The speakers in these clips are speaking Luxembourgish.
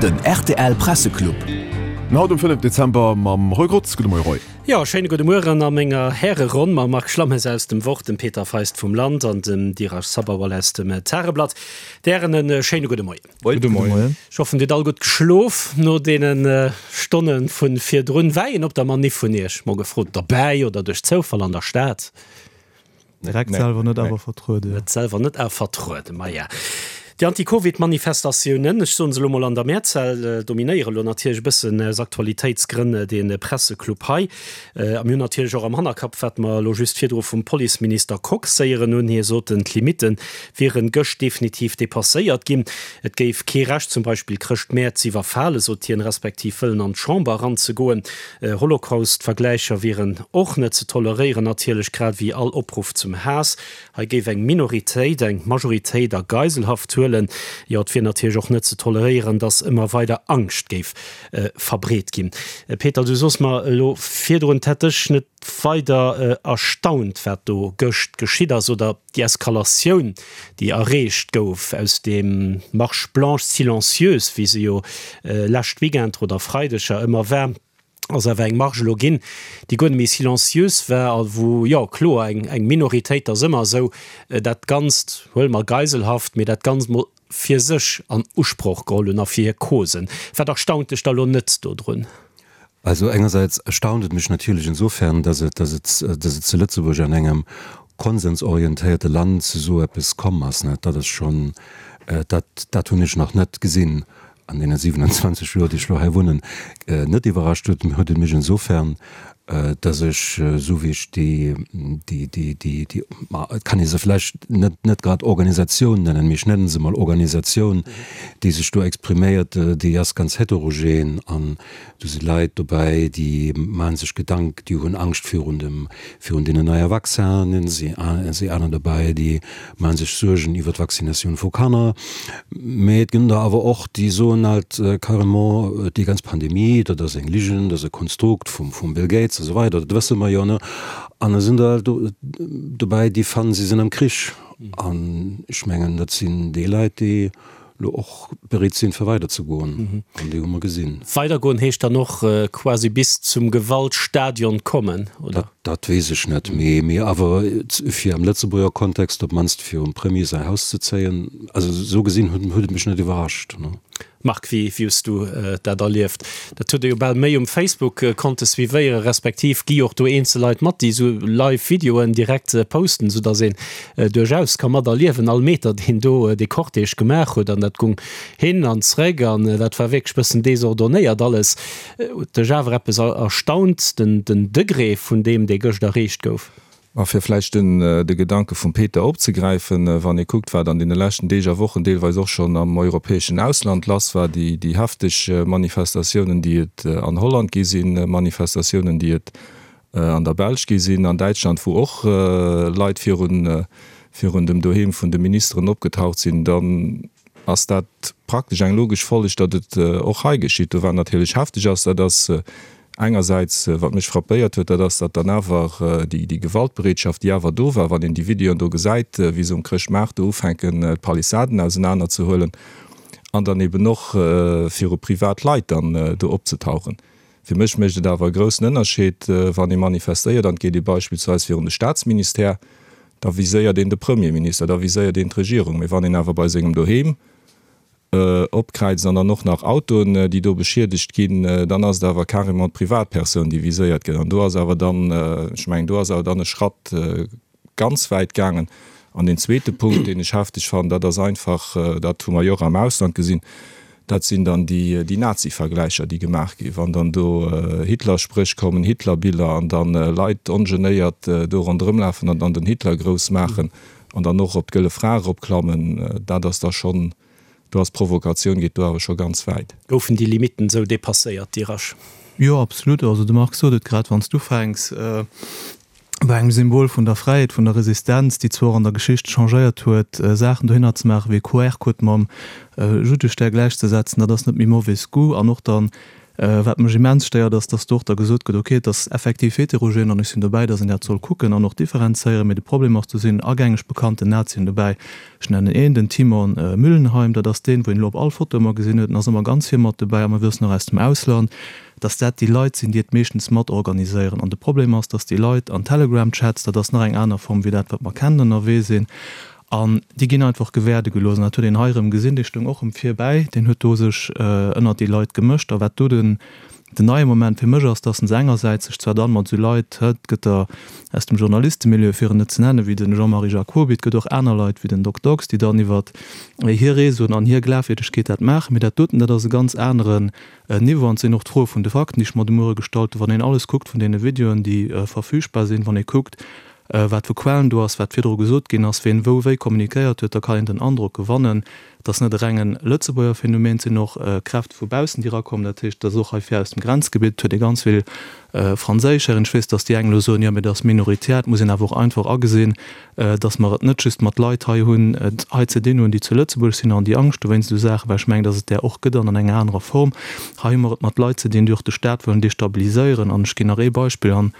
Den rtl Presseclub. An haut um 5 Dezember mam Roy Grotz. Gudde Moie Roy. Jo, schéine gudde Mueren a menger Häreronn mam Marc Schlammes aus dem Wort, dem Peter Feist vum Land an dem Dirasch Sabharwal aus dem Tageblatt. D'Hären e schéine gudde Moien. Gudde Moien. Ech hoffen Dir hutt all gutt geschlof no deene Stonne vu virdrun. War een op der Maniff vun Iech, mol gefrot, derbäi oder duerch Zoufall an der Stad? Direkt selwer net, awer vertrueden. Net selwer net, awer vertrueden, maja. Déi Anti-Covid-Manifestatiounen, ech soen se elo mol an der Mehrzahl, dominéiere lo natierlech e bëssen aus Aktualitéitsgrënn dee Presseclub hei. A mir hunn natierlech och am Hannerkapp, wat mer elo just virdru vum Policeminister Kox héieren hunn. Hie sot, d'Limitte wieren gëscht definitiv depasséiert ginn. Et géif kee Recht zum Beispill Chrëschtmäert z'iwwerfalen, sot hien, respektiv wëllen an d'Chamber eranzegoen. Holocaust-Vergläicher wieren och net ze toleréieren, natierlech grad ewéi all Opruff zum Haass. Hei géif eng Minoritéit eng Majoritéit a Geiselhaft huelen. Jo, et wier natierlech och net ze toleréieren, datt ëmmer weider Angscht géif verbreet ginn. Peter, du sos mer elo virdrun, et hätt dech net weider erstaunt, wat do gëscht geschitt ass, oder déi Eskalatioun, déi erreecht gouf aus deem Marche blanche silencieuse, wéi se jo lescht Weekend oder Freideger ëmmer war, ass awer eng Marche elo ginn, déi guer net méi silencieuse war a wou, jo kloer, eng eng Minoritéit, ass ëmmer esou, dat Ganzt, huele mer Geiselhaft, mee dat Ganzt mol fir sech an Usproch geholl hunn a fir hir Causen. Wat erstaunt dech da lo net dodrun? Also engersäits erstaunt et mech natierlech insofern, dass et, dass et, dass et zu Lëtzebuerg an engem konsensorientéierte Land zu esou eppes komm ass, net? Dat ass schonn, dat, dat hunn ech nach net gesinn an deene 27 Joer, déi ech elo hei wunnen. Net iwwerrascht huet, huet et mech insofern, dass ech, esou wéi ech déi, déi, déi, déi, déi, ma et kann ee se vläicht net, net grad Organisatioun nennen, mee ech nennen se mol Organisatioun, déi sech do expriméiert, déi ass ganz heterogen an do si Leit dobäi, déi maache sech Gedank, déi hunn Angscht virun dem, virun deenen neie Vaccinen, si si aner dobäi, déi maache sech Suergen iwwer d'Vaccinatioun vu Kanner. Mee et gënn der awer och, déi soen halt carrément, déi ganz Pandemie, dat ass eng Ligen, dat ass e Konstrukt vum, vum Bill Gates a sou weider, dat wësse mer jo, ne? An da sinn der halt dobäi, déi fannen, si sinn am Krich. An ech mengen, dat sinn déi Leit, déi elo och bereet sinn, fir weiderzegoen. An déi hu mer gesinn. Weidergoen heescht dann och quasi bis zum Gewaltstadion kommen, oder? Dat weess ech net, mee awer fir am Lëtzebuerger Kontext op d'mannst virum Premier säi Haus ze zéien, also esou gesinn huet et mech net iwwerrascht. Marc, wéi hues du dat erlieft? Dat huet ee jo bal méi um Facebook konnte suivéieren, respektiv gi och do eenzel Leit mat, déi esou live Videoen direkt posten, esou datt een duerchaus ka mat erliewen all Meter, deen do dee Cortège gemaach huet. An dat gung hin an zréck an dat war wierklech bëssen desordonéiert alles. Huet dech awer eppes erstaunt, den Degré vun deem, dee gëscht erreecht gouf? A fir vläicht de Gedanke vum Peter opzegräifen, Wann ee kuckt, wat an deene leschten Deeg a Wochen deelweis och schonn am europäeschen Ausland lass war, déi hefteg Manifestatiounen, déi et an Holland gi sinn, Manifestatiounen, déi et an der Belsch gi sinn, an Däitschland, wou och Leit virun dem Doheem vun de Ministeren opgetaucht sinn, dann ass dat praktesch eng logesch Folleg, datt et och hei geschitt. Do wat natierlech hefteg ass, dat ass engersäits, wat mech frappéiert huet, dat ass, datt dann awer déi Gewaltbereetschaft, déi awer do war, wann een déi Videoen do gesäit, wéi se um Chrëschtmaart do ufänken d'Palissaden ausenanerzehuelen an dann eben och viru privat Leit dann do opzetauchen. Fir mech mécht et awer e groussen Ënnerscheed, wann ee manifestéiert an et geet ee beispillsweis virun de Staatsministère, da viséiert een de Premierminister, da viséiert een d'Regierung. Mee wann een awer bei sengem Doheem opkräizt an dann och nach Autoen, déi do beschiedegt ginn, dann ass et awer carrément d'Privatpersoun, déi viséiert gëtt. An do ass awer dann, ech mengen, do ass awer dann e Schratt ganz wäit gaangen. An deen zweete Punkt, deen ech hefteg fannen, dat ass einfach, dat hu mer jo och am Ausland gesinn, dat sinn dann déi Nazi-Vergläicher, déi gemaach ginn, wann dann do Hitler-Spréch kommen, Hitler-Biller an dann Leit ongenéiert do ronderëmlafen an dann den Hitler grouss maachen an dann och op d'Gëlle Fra eropklammen, dat ass da schonn, do ass d'Provokatioun, geet do awer scho ganz wäit. Goufen déi Limitten esou dépasséiert, Dirasch? Jo, absolut. Also de Marc sot et grad, wann s du ufänks, bei engem Symbol vun der Fräiheet, vun der Resistenz, déi zwar och an der Geschicht changéiert huet, Saachen dohinner ze maachen, wéi e QR-Code mam Juddestär gläichzesetzen, dat ass net méi mauvais goût. An och dann. Wat mech immens stéiert, ass, dass do och da gesot gëtt, okay, et ass effektiv heterogen an ech sinn dobäi, dass een dat soll kucken an och differenzéieren, mee de Problem ass, do sinn agängeg bekannten Nazien dobäi. Ech nennen een, den Timon Müllenheim, dat ass deen, wou een elo op all Foto ëmmer gesinn huet, en ass ëmmer ganz vir mat dobäi a mer wëssen och aus dem Ausland, dass dat déi Leit sinn, déi et meeschtens mat organiséieren. An de Problem ass, dass déi Leit an Telegram-Chats, dat ass nach eng aner Form wéi dat, wat mer kennen, ënnerwee sinn. An déi ginn einfach gewäerde gelooss. An dat huet een hei erëm gesinn, dee stoung och erëm vir bäi, deen huet do sech ënnert déi Leit gemëscht. A wat do den neie Moment fir mech ass, dass en se engersäits sech zwar dann mat esou Leit, et gëtt der aus dem Journalistemilieu, fir en net ze nennen, wéi de Jean-Marie Jacoby, et gëtt och aner Leit wéi den Doc Dox, déi dann iwwer hir Réseauen an hir Glafwierdegkeet dat maachen, mee dat doten, dat ass e ganz aneren Niveau. An et sinn och d'Froe vun de Fakten, déi ech mer de Muere gestallt hunn, wann een alles kuckt vun deene Videoen, déi verfügbar sinn, wann ee kuckt, wat vu Quellen do ass, wat virdru gesot ginn ass, ween wou wéi kommunikéiert huet, da kann een den Androck gewannen, et ass net e rengen Lëtzebuerger Phänomen, et sinn och Kräfte vu baussen, déi erakommen. Dat heescht, et ass och hei vir aus dem Grenzgebitt, et huet ee ganz vill franséisch Hären. Ech weess, datt déi eng elo soen, jo, mee dat ass minoritär. Et muss een awer och einfach agesinn, datt mer et net just mat Leit hei hunn, hei ze dinn hunn, déi zu Lëtzebuerg sinn an déi Angscht hu wéinst esou Saachen, well ech mengen, datt et där och gëtt an an enger anerer Form. Hei hu mer et mat Leit ze dinn, déi och de Staat wëllen destabiliséieren. An ech ginn nach ee Beispill an,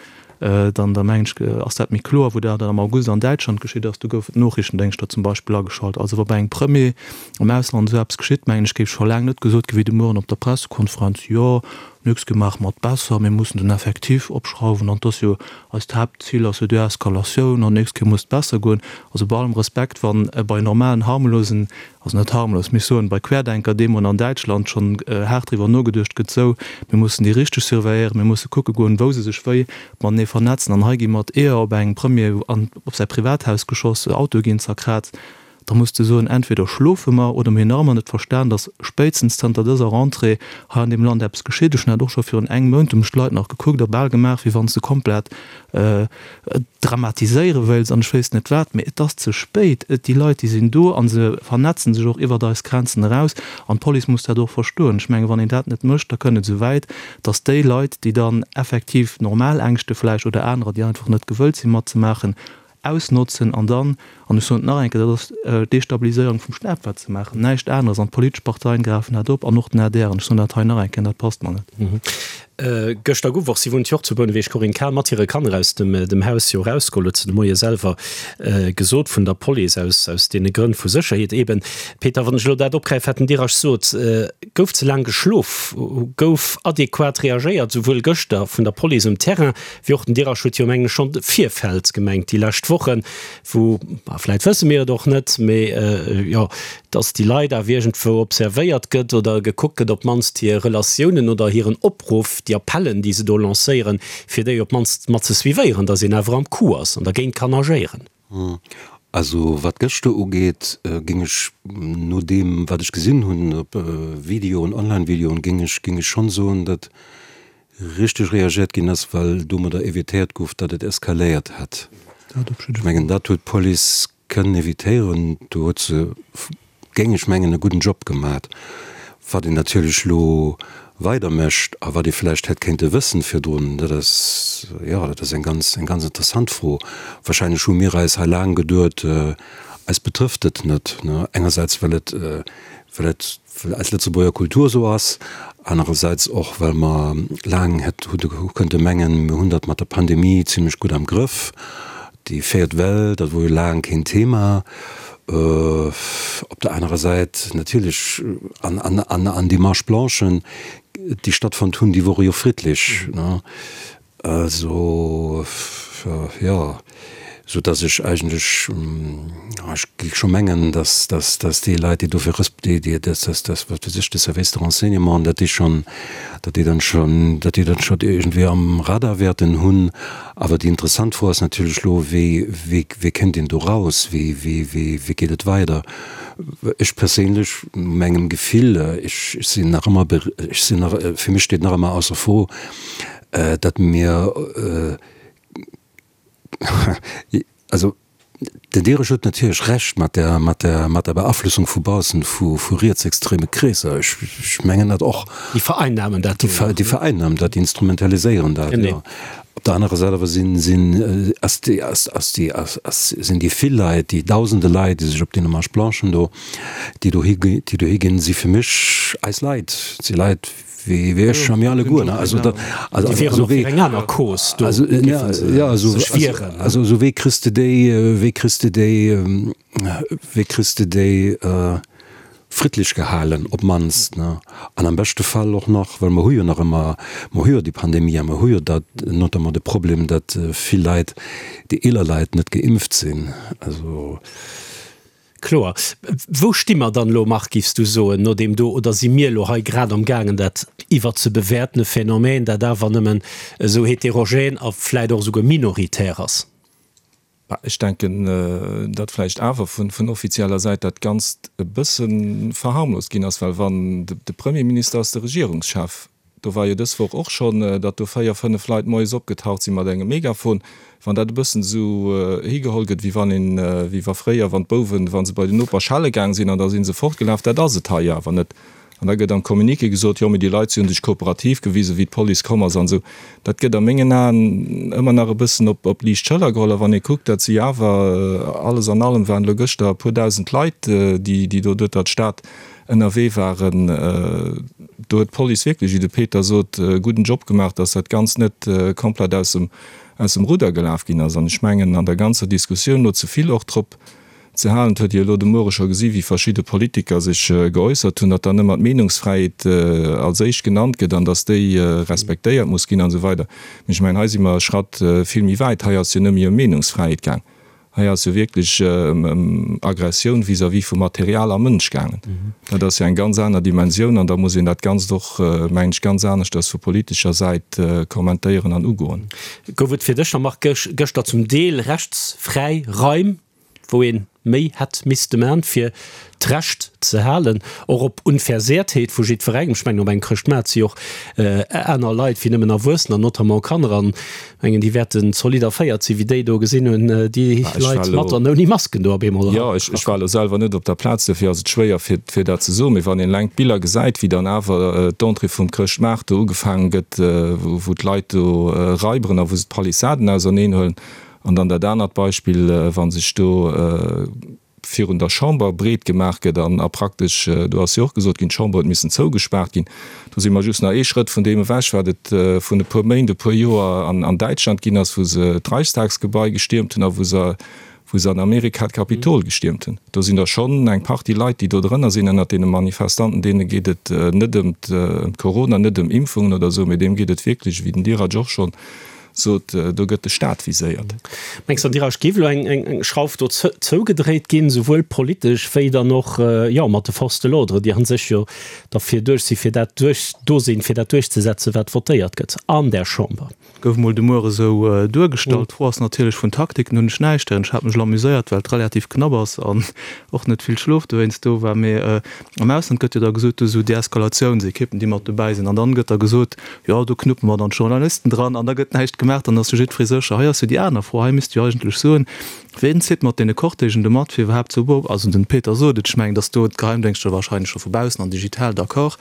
Dann, da mengen ech, ass dat méi kloer, wou dat am August an Däitschland geschitt ass. Do goufen d'Noochrichtendéngschter zum Beispill ageschalt. Also wa bei engem Premier am Ausland esou eppes geschitt, mengen ech, géif scho laang net gesot gi wéi de Mueren op der Pressekonferenz, Jo, nächst Kéier maache mer et besser, mir mussen den Effectif opschrauwen an 't ass jo eist Haaptzil ass jo Deeskalatioun an nächst Kéier muss et besser goen. Also bei allem Respekt, wa bei normalen, harmlosen also net harmlos, mee ech soen, bei Querdenker-Demoen an Däitschland schonn haart driwwer nogeduecht gëtt, sou, mir mussen déi richteg surveilléieren, mir musse kucke goen, wou se sech wéi matenee vernetzen. An hei gi mat Eeër op engem Premier an op säi Privathaus geschoss, Autoe ginn zerkraazt. Da muss de soen, entweder schlofe mer oder mir hunn nach ëmmer net verstan, datt spéitstens zanter dëser Rentrée hei an deem Land eppes geschitt. Ech hunn dat och scho virun engem Mount, hu mech d'Leit nach gekuckt a bal gemaach, wéi wann s de komplett dramatiséiere wéilts an ech wéisst net wat, mee et ass ze spéit. Déi Leit, déi sinn do a se vernetzen sech och iwwert eis Grenzen eraus an d'Police muss dat och verstoen. Ech mengen, wann een dat net mécht, da kënnt et esou wäit, datt déi Leit, déi dann effektiv normal Ängschte vläicht oder anerer, déi einfach net gewëllt sinn matzemaachen, ausnotzen an dann, an ech soen et nach eng Kéier, dat ass d'Destabiliséierung vum Staat, wat se maachen, näischt aneres an d'politesch Parteien gräifen dat op an och den adr an ech soen dat hei nach eng Kéier, an dat passt mer net. Gëschter gouf och, si wunnt jo och zu Bouneweg, d'Corinne Cahen mat hire Kanner aus dem Haus jo erausgeholl, huet se de Moie selwer gesot, vun der Police, aus aus deene Grënn vu Sécherheet eben. Peter, wann ech elo dat opgräifen, wat den Dirac sot, gouf ze laang geschlof? Gouf adequat reagéiert, souwuel gëschter vun der Police um Terrain, wéi och den Dirac huet jo mengen ech schonn de Virfeld gemengt déi lescht Wochen, wou, ma vläit wësse mir et och net, mee jo, dass déi Leit awer iergendwou observéiert gëtt oder gekuckt gëtt, op d'mannst hir Relatiounen oder hiren Opruff, déi Appellen, déi se do lancéieren, fir déi op d'mannst mat ze suivéieren, dass een awer am Coup ass an dergéint kann agéieren. Also wat gëschter ugeet, géing ech no deem wat ech gesinn hunn op Videoen, Online-Videoen, géing ech, géing ech schonn soen, datt richteg reagiert ginn ass, well domadder evitéiert gouf, datt et eskaléiert hätt. Ech mengen dat huet d'Police kënnen evitéieren. Do huet se, géing ech mengen, e gudden Job gemat. Wat een natierlech elo weider mécht a wat ee vläicht hätt kéinte wëssen virdrun, dat ass, jo, dat ass eng ganz, eng ganz interessant Fro. Wahrscheinlech hu mir eis hei laang geduet, eis betrëfft et net, ne, engersäits well et, well et, well eis Lëtzebuerger Kultur esou ass, anerersäits och, well mer laang hätt hu kënnte mengen, mir hunn dat mat der Pandemie zimlech gutt am Grëff. Déi véiert Well, dat wor jo laang keen Thema. Op der anerer Säit natierlech, an, an, an, an déi Marche blanchen, déi stattfonnt hunn, déi wore jo friddlech, ne? Also, jo, sou dass ech eigentlech, ech géif scho mengen, dass, dass, dass déi Leit, déi dofir resp-, déi, déi, dass, dass, dass, wat weess ech, de Service de renseignement, datt déi schonn, datt déi dann schonn, datt déi dat schonn iergendwéi am Radar wäerten hunn. Awer déi interessant Fro ass natierlech elo, Wéi, wéi, wéi kënnt een do raus? Wéi, wéi, wéi, wéi geet et weider? Ech perséinlech, mengem Gefill, ech, ech sinn nach ëmmer, ech sinn nach, fir mech steet nach ëmmer ausser Fro, datt mir, also den Dierech huet natierlech Recht mat der, mat der, mat der Beaflossung vu baussen vu, vu rietsextreme Kreesser. Ech, ech mengen dat och. Déi vereinnahmen dat do. Déi vereinnahmen dat, déi instrumentaliséieren dat, jo. Op der anerer Säit awer sinn, sinn, ass déi, ass, ass déi, ass, ass, sinn déi vill Leit, déi dausende Leit, déi sech op deene Marche blanchen do, déi dohi, déi dohi ginn, si fir mech eis Leit, si Leit. Wéi wéi ech a mir alleguer, ne? Also dat, also, Déi wieren also och fir wéi, eng aner Cause do, also, géife se ja, also, sech wieren, ne? also, also wéi kriss de déi, wéi kriss de déi, wéi kriss de déi friddlech gehalen op d'mannst, ne? An am beschte Fall och nach, well mer hu jo nach ëmmer, mer hu jo déi Pandemie a mer hu jo dat, notamment de Problem, datt vill Leit, déi eeler Leit net geimpft sinn, also. Kloer. Wou sti mer dann elo, Marc, giffs du soen, no deem do, oder si mir elo hei grad am gaangen dat iwwerzebewerten, e Phänomen, dat awer nëmmen esou heterogen a vläit och esouguer minoritär ass? Bah, ech denken, datt vläicht awer vun offizieller Säit dat Ganzt e bësse verharmlost ginn ass, well wann de Premierminister ass de Regierungschef, Do war jo dës Woch och schonn, datt do 4, 5 Leit moies opgetaucht si mat engem Megafon. Wann dat e bëssen esou higeholl gëtt, wéi wann een, wéi wa fréier, wann d'Bouwen, wa se bei den Noper schelle gaang sinn an da si se fortgelaf, dat ass et hei jo awer net. An da gëtt am Communiqué gesot, jo, mee déi Leit, si hu sech kooperativ gewisen, wéi d'Police komm ass an esou. Dat gëtt a mengen Aen ëmmer nach e bëssen op liicht Schëller geholl. A wann ee kuckt, dat si awer, alles an allem waren elo gëschter e puer dausend Leit, déi do duerter d'Stad ënnerwee waren, do huet d'Police wierklech, wéi de Peter sot, e gudden Job gemaach, datt dat Ganzt net komplett aus dem, aus dem Rudder gelaf ginn ass. An ech mengen, an der ganzer Diskussioun elo ze vill och drop ze halen, et huet Dir elo de Muere scho gesi wéi verschidde Politiker sech geäussert hunn, datt dann ëmmer d'Meenungsfräiheet als éischt genannt gëtt an datt déi respektéiert muss ginn an esou weider. Mee ech mengen, hei si mer e Schratt vill méi wäit. Hei ass jo net méi ëm Meenungsfräiheet gaang. Hei ass jo wierklech ëm Aggressioun vis-à-vis vu Material a Mënsch gaangen. Dat ass jo eng ganz aner Dimensioun an da muss een dat Ganzt och, mengen ech, ganz aneschters vu politescher Säit kommentéieren an ugoen. Gouf et fir dech, Jean-Marc, gëschter zum Deel rechtsfräi Raim, wou ee méi hätt misste man, fir d'Recht ze halen, och op Unversehrtheet vu jiddwerengem. Ech mengen, op engem Chrëschtmaart si och aner Leit wéi nëmmen Erwuessener, notamment Kanner, an ech mengen, déi wäerten zolidd erféiert sinn, wéi déi do gesinn hunn, déi Leit mat an ouni Masken do op eemol Jo, ech war elo selwer net op der Plaz, dofir ass et schwéier, fir dat ze soen. Mee wann een eleng d'Biller gesäit, wéi dann awer d'Entrée vum Chrëschtmaart do ugefaange gëtt, wou d'Leit do raiberen a wou se d'Palissaden auserneenhuelen, an dann dat anert Beispill, wa sech do, virun der Chamber breet gemaach gëtt an a praktesch, do ass jo och gesot ginn, d'Chamber huet missen zougespaart ginn, do si mer just nach ee Schrëtt vun deem ewech, wat et vun e puer Méint, e puer Joer an an Däitschland ginn ass, wou se d'Reichstagsgebai gestiermt hunn a wou se wou se an Amerika d'Kapitol gestiermt hunn. Do sinn der schonn eng Partie Leit, déi do drënner sinn ënnert deene Manifestanten, deene geet et net ëm d'Corona, net ëm Impfungen oder esou, mee deem geet et wierklech, wéi den Dirac och schonn sot, do gëtt de Staat viséiert. Mengs de, Dirac, géif elo eng Schrauf do zougedréit ginn, souwuel politesch wéi dann och, jo, mat de Forces de l'ordre, déi a sech jo derfir duerch sinn, fir dat duerch, do sinn, fir dat duerchzesetzen, wat votéiert gëtt an där Chamber? Gouf mol de Muere sou duergestallt. D'Fro ass natierlech, vun Taktiken hunn ech näischt héieren. Ech hat mech elo amuséiert, well et relativ knapp ass an och net vill Schlof dowéinst do war. Mee am Ausland gëtt jo da gesot, do sou Deeskalatiouns-Ekippen, déi mat dobäi sinn. An dann gëtt da gesot, Jo, do knuppe mer dann d'Journalisten dran an da gëtt näischt gemaach, dann ass jo jiddweree sécher. Hei ass jo déi aner Fro, hei misst jo eigentlech soen, Ween zitt mat deene Cortègen do mat, fir iwwerhaapt ze also den Peter sot et, ech mengen, datt do d'Geheimdéngschter wahrscheinlech scho vu baussen an digital, d'accord,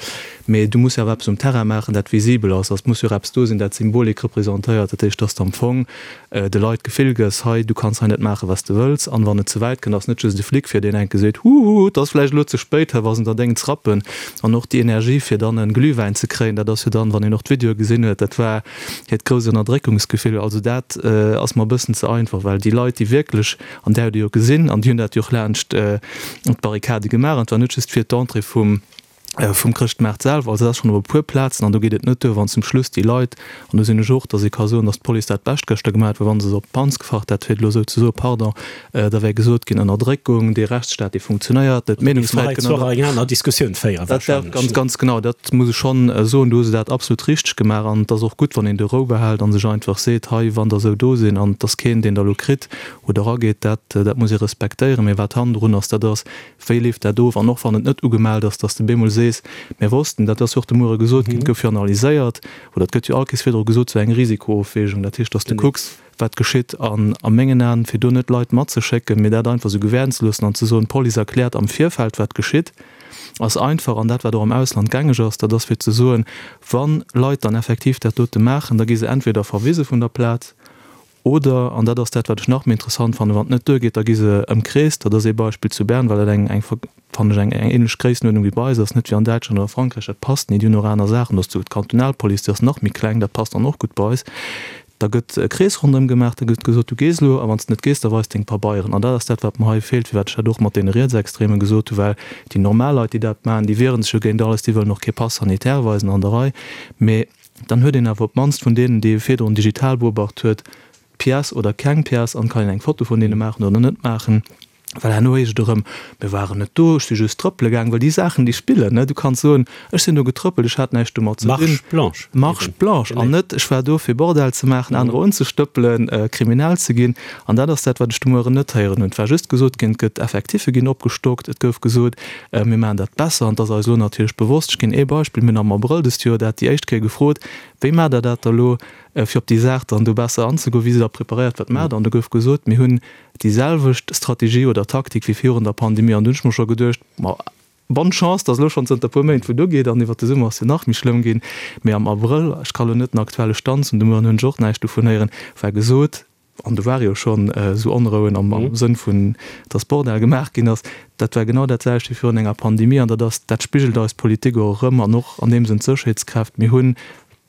mee du muss jo awer eppes um Terrain maachen, dat visibel ass, also et muss jo och eppes do sinn, dat Symbolik representéiert, dat heescht, datt de am Fong de Leit d'Gefill gëss, hei, du kanns hei net maachen, wat s de wëlls, an wann et ze wäit kënnt, ass net just e Flic fir, deen enke seet, huhu, et ass vläicht elo ze spéit, hei wa se der déngen z'rappen, an och déi Energie, fir dann en Glühwäin ze kréien, dat ass jo dann, wann een och d'Videoe gesinn huet, dat war hiert grousst Ënnerdréckungsgefill. Also dat ass mer e bëssen ze einfach, well déi Leit, déi wierklech, an där hutt Dir jo gesinn, an déi hunn dat jo och laanscht d'Barrikade gemaach, an et war net just fir d'Entrée vum, vum Chrëschtmaart selwer, also dat ass schonn op e puer Plazen, an do geet et net duer, wann zum Schluss déi Leit, an do sinn ech och, datt ee ka soen, datt d'Police dat Bescht gëschter gemaach huet, well wa se se op d'Panz gefacht hätt, fir et elo esou ze soen, pardon, da wär gesot ginn, Ënnerdréckung, dee Rechtsstaat, dee funktionéiert net, d'Meenungsfräiheet gëtt ënner. Eng aner Diskussioun féieren wahrscheinlech. Dat wär ganz, ganz genau, dat muss ech schonn soen, do hu se dat absolut richteg gemaach an et ass och gutt, wann een do Rou behält a sech einfach seet, hei, wann der esou do sinn an et ass keen, deen der elo kritt oder erageet, dat, dat muss ee respektéieren. Mee wat hannendrun ass, dat ass, Wéi leeft dat of? An och wann et net ugemellt ass, dass de bemol sees, mir wossten, dat ass jo och de Muere gesot ginn, et gouf jo analyséiert, oder et gëtt jo all Kees virdru gesot, sou eng Risikoofwägung, dat heescht, dass de kucks, wat geschitt. An a mengen Aen, fir do net Leit matzeschécken, mee dat einfach sou gewähren ze loossen an ze soen, d'Police erkläert am Virfeld, wat geschitt, ass einfach. An dat, wat och am Ausland gängeg ass, dat ass fir ze soen, wa Leit dann effektiv dat dote maachen, da gi se entweder verwise vun der Plaz. Oder, an dat ass dat, wat ech nach méi interessant fannen, wann et net duergeet, da gi se ëmkreest. Dat ass ee Beispill zu Bern, well dat eng, eng, fannen ech, eng, eng ähnlech Gréissenuerdnung wéi bei eis ass, net wéi an Däitschland oder Frankräich, dat passt ni. Déi hunn och aner Saachen. Do ass d'Kantonalpolice, déi ass nach méi kleng, dat passt dann och gutt bei eis. Da gëtt e Krees ronderëm gemaach, da gëtt gesot, du gees elo, a wann s de net gees, da weis deng Pabeieren. An dat ass dat, wat mer hei feelt, firwat ech dat och mat deene Rietsextremen gesot hu, well déi normal Leit, déi dat maachen, déi wiere sech jo géint alles, déi wëllen och kee Pass sanitaire weisen an der Rei. Mee dann huet een awer op d'mannst vun deenen, déi ee virdrun digital beobacht huet, d'Pièce oder keng Pièce an kann een eng Foto vun deene maachen oder net maachen. Well herno heescht et erëm, mir waren net do, ech si just trëppele gaang. Well déi Saachen, déi spillen, ne? Du kanns soen, ech sinn do getrëppelt, ech hat näischt domat ze dinn. Marche blanche. Marche blanche. An net, ech war do fir Bordell ze maachen, anerer unzestëppelen, kriminell ze ginn. An dat ass dat, wat ech de Mueren net héieren hunn. Et war just gesot ginn, et gëtt, Effectiffe ginn opgestockt, et gouf gesot, mir maachen dat besser. An et ass eis elo natierlech bewosst, ech ginn ee Beispill, mir hunn am Abrëll dëst Joer dat déi éischt Kéier gefrot, wéi maacht Der dat da elo, fir op déi Saach dann do besser anzegoen, wéi sidd Der preparéiert, wat maacht Der? An do gouf gesot, mir hunn déi selwecht Strategie oder Taktik wéi virun der Pandemie. An do hunn ech mer scho geduecht, ma bonne chance, dass elo schonn zënter e puer Méint wou et ugeet an iwwert de Summer ass jo nach méi schlëmm ginn. Mee am Abrëll, ech ka lo net den aktuelle Stand soen, de Mueren hunn ech och näischt dovun héieren, war gesot, an do ware jo schonn esou Onrouen am Sënn vun, dass Bordell gemaach ginn ass, dat war genau dat selwecht wéi virun enger Pandemie. An dat ass, dat spigelt eis Politik och erëm an och an deem Sënn d'Sécherheetskräft. Mir hunn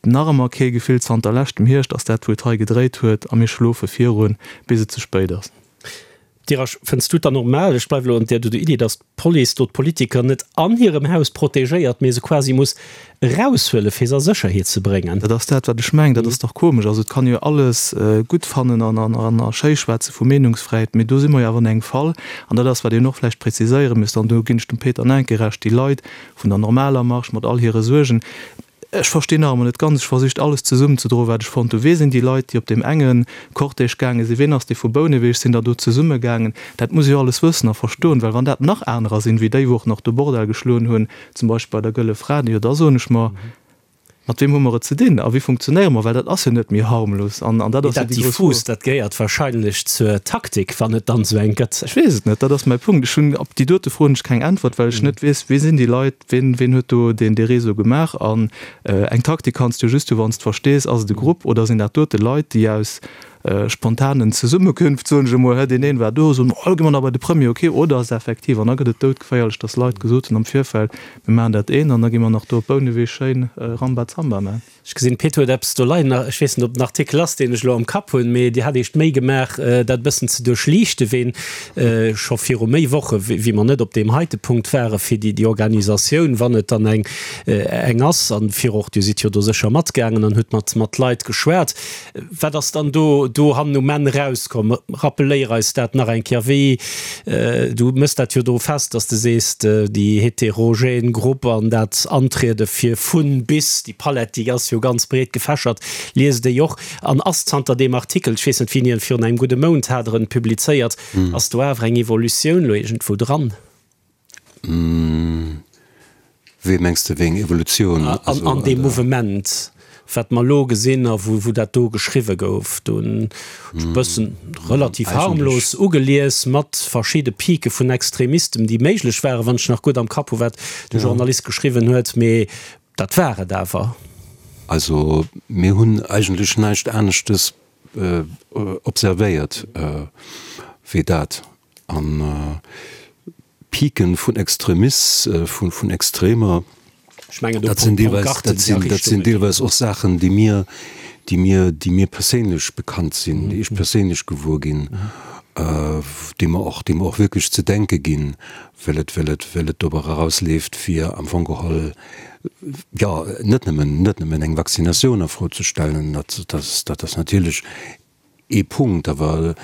Nach ëmmer kee Gefill zanter leschtem Hierscht ass dat wou et hei gedréit huet a mir schlofe virun bis et ze spéit ass. Dirasch, fënns du et dann normal, ech bleiwe lo an där do Iddi, datt d'Police do d'Politiker net an hirem Haus protegéiert, mee se quasi muss eraushuele fir se a Sécherheet ze bréngen? Dat ass dat wat ech mengen. Dat ass dach komesch. Also et kann ee jo alles gutt fannen an a schéi schwätze vu Meenungsfräiheet, mee do si mer jo awer an engem Fall, an dat ass wat een och vläicht präziséiere misst, an do ginn ech dem Peter Nenke Recht, déi Leit vun der normaler Marche mat all hire Suergen, Ech verstinn nach emol net ganz, ech versicht alles zesummenzedroen, wat ech fonnt hunn. Wee sinn déi Leit, déi op deem enge Cortège gaange sinn? Ween ass dee vu Bouneweg? Sinn der do zesumme gaangen? Dat muss ech alles wëssen a verstoen, well wann dat nach anerer sinn, wéi déi, wou och nach do Bordell geschloen hunn, zum Beispill bei der Gëlle Fra, jo da soen ech mer, mat weem hu mer et ze dinn a wéi funktionéiere mer? Well dat ass jo net méi harmlos an dat ass jo déi grouss Fro. Dat diffus, dat gehéiert wahrscheinlech zur Taktik, wann et dann esou eng gëtt. Ech weess et net, dat ass mäi Punkt. Ech hunn op déi dote Fro hunn ech keng Äntwert, well ech net weess, wee sinn déi Leit, Ween, ween huet do deen dee Réseau gemaach? An eng Taktik kanns du jo just hu wann s de verstees, ass et e Grupp oder sinn dat dote Leit, déi aus spontanen Zesummekünft, soen ech emol, deen een war do, soen, oh, gi mer nach bei de Premier, ok, oder ass et effektiv, an da gëtt et doudgeféierlech, datt Leit gesot hunn am Virfeld, mir maachen dat een an da gi mer nach do op Bouneweg schéin Rambazamba maachen. Ech gesinn, d'Pit huet eppes do leien. Ech weess net, ob den Artikel ass, deen ech elo am Kapp hunn, mee Dir hat Iech d'Méi gemaach, dat e bëssen ze duerchliichten, ween scho viru méi Woche, wéi mer net op deem heite Punkt waren, fir déi déi Organisatioun, wann et dann eng eng ass, an fir och, Dir sidd jo do sécher matgaangen an hutt mat mat Leit geschwat. Wat ass dann do do hannen um Enn erauskomm? Rappeléier eis dat nach eng Kéier. Wéi, du méchs dat jo do fest, dass de sees, déi heterogen Grupp an dat Antriede fir vun bis, déi Palett, déi ass jo ganz breet gefächert, liest déi och. An ass zanter deem Artikel, ech weess net wéini en, virun engem gudde Mount hat Der en publizéiert, ass do awer eng Evolutioun elo iergendwou dran? Wéi mengs de, wéi eng Evolutioun? An deem Mouvement, wat mer elo gesinn a wou dat do geschriwwe gouf, do hunn ech e bëssen relativ harmlos ugelies mat verschidde Pique vun Extremistem, déi méiglech waren, wann ech nach gutt am Kapp hu wat de Journalist geschriwwen huet, mee dat war et awer. Also mir hunn eigentlech näischt aneschtes observéiert wéi dat. An Piken vun Extremis, vun Extremer, dat sinn deelweis, dat sinn, dat sinn deelweis och Saachen, déi mir, déi mir, déi mir perséinlech bekannt sinn, déi ech perséinlech gewuer ginn, déi mer och, déi mer och wierklech ze denke ginn, well et, well et, well et dorobber erausleeft, fir am Fong geholl, jo, net nëmmen, net nëmmen eng Vaccinatioun a Fro ze stellen, dat, dat, dat ass natierlech Ee Punkt awer,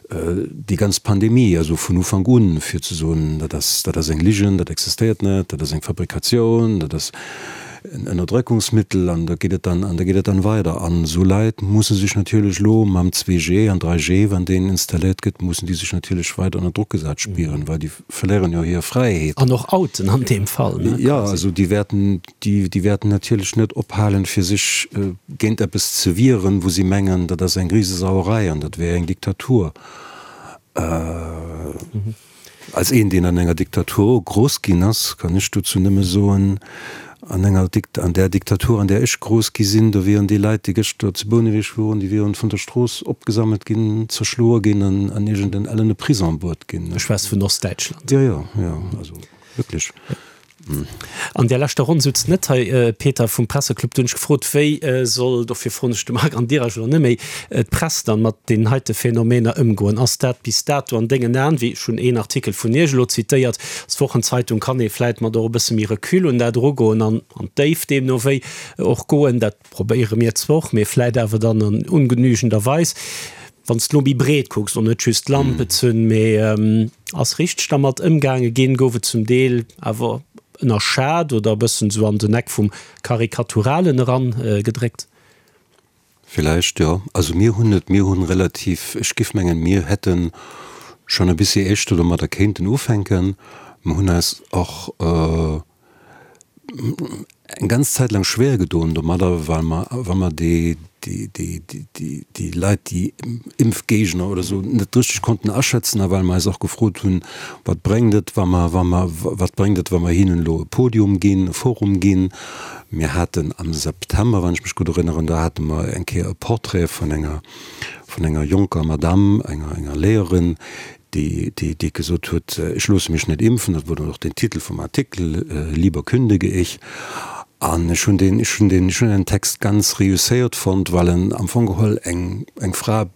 déi ganz Pandemie, also vun Ufank un, fir ze soen, dat ass, dat ass eng Ligen, dat existéiert net, dat ass eng Fabrikatioun, dat ass en Ënnerdrëckungsmittel an da geet et dann, an da geet et dann weider. An esou Leit musse sech natierlech elo mam 2G an 3G, wann deen installéiert gëtt, mussen déi sech natierlech weider ënner Drock gesat spieren, well déi verléieren jo hir Fräiheet. An och outen an deem Fall, ne? Jo, also déi wäerten, Déi, déi wäerten natierlech net ophalen, fir sech géint eppes ze wieren, wou si mengen, dat ass eng Risesauerei an dat wär eng Diktatur. Als een, deen an enger Diktatur grouss ginn ass, kann ech dozou nëmme soen. An enger Dikt, an där Diktatur, an där ech grouss gi sinn, do wieren déi Leit, déi gëschter zu Bouneweg woren, déi wieren vun der Strooss opgesammelt ginn, zerschloe ginn an an iergend en ellene Prison bruet ginn. Ech schwätz vun Ostdäitschland. Jo, jo, jo, also wierklech. An där leschter Ronn souz net hei, Peter, vum Presseclub. Du hunn ech gefrot, wéi soll, dofir froen ech de Marc an dir eigentlech elo net méi, d'Press dann mat deenen heite Phänomener ëmgoen? Ass dat bis dato an dengen Aen, wéi ech hunn een Artikel vun Iech elo zitéiert, als Wochenzeitung kann ee vläit mat och e bësse méi Recul un dat erugoen an an d'Déift deemno wéi och goen, dat probéiere mir zwar och, mee vläit awer dann an ungenügender Weis. Wann s de elo méi breet kucks, och net just d'Lampezünn, mee ass richteg dermat ëmgaange ginn, gouf et zum Deel awer ënnerschat oder e bëssen esou an den Eck vum Karikaturalen eran gedréckt? Villäicht, jo. Also mir hunn et, mir hunn relativ, ech giff mengen, mir hätten schonn e bissi éischter domadder kéinten ufänken. Mer hunn eis och eng ganz Zäit laang schwéer gedoen domadder, well mer, well mer déi, déi, déi, déi, déi Leit, déi Impfgéigner oder esou net richteg konnten aschätzen a well mer eis och gefrot hunn, Wat bréngt et, wa mer, wa mer, wat bréngt et, wa mer hinnen elo e Podium ginn, e Forum ginn? Mir haten am September, wann ech mech gutt erënneren, do hate mer eng Kéier e Portrait vun enger, vun enger jonker Madame, enger, enger Léierin, déi, déi, déi gesot huet, Ech loosse mech net impfen. Dat wor dann och den Titel vum Artikel, Lieber kündige ich. An ech hunn deen, ech hunn deen, ech hunn den Text ganz reusséiert fonnt, well en am Fong geholl eng, eng Fra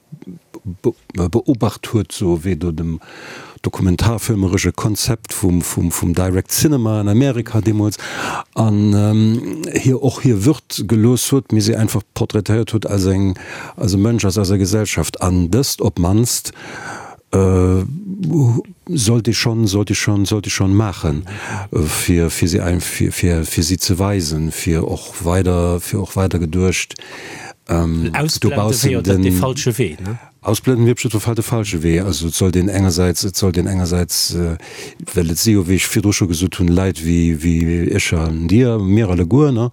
beobacht huet, sou wéi do dem dokumentarfilmeresche Konzept vum, vum, vum Direct Cinema an Amerika deemools, an hir och hir Würd gelooss huet, mee si einfach portraitéiert huet als eng, als e Mënsch aus eiser Gesellschaft. An dëst op d'mannst sollt ee schonn, sollt ee schonn, sollt ee schonn maachen, fir, fir si ein, fir, fir, fir si ze weisen, fir och weider, fir och weider geduecht Ausblende wier jo dat dee falsche Wee, ne? Ausblenden wier op jiddwer Fall de falsche Wee. Also et sollt een engersäits, et sollt een engersäits, well et si jo, wéi ech virdru scho gesot hunn, Leit wéi, wéi ech an Dir, mir alleguer, ne?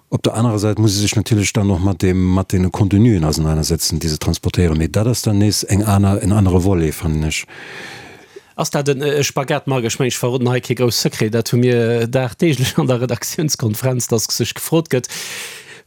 Op der anerer Säit muss ee sech natierlech dann och mat deem, mat deene Contenuen ausenanersetzen, déi se transportéieren. Mee dat ass dann nees eng aner, en anere Volet, fannen ech. Ass dat e Spagat, Marc? Ech mengen, ech verroden hei kee grouss Secret, dat hu mir dagdeeglech an der Redaktiounskonferenz, dass sech gefrot gëtt,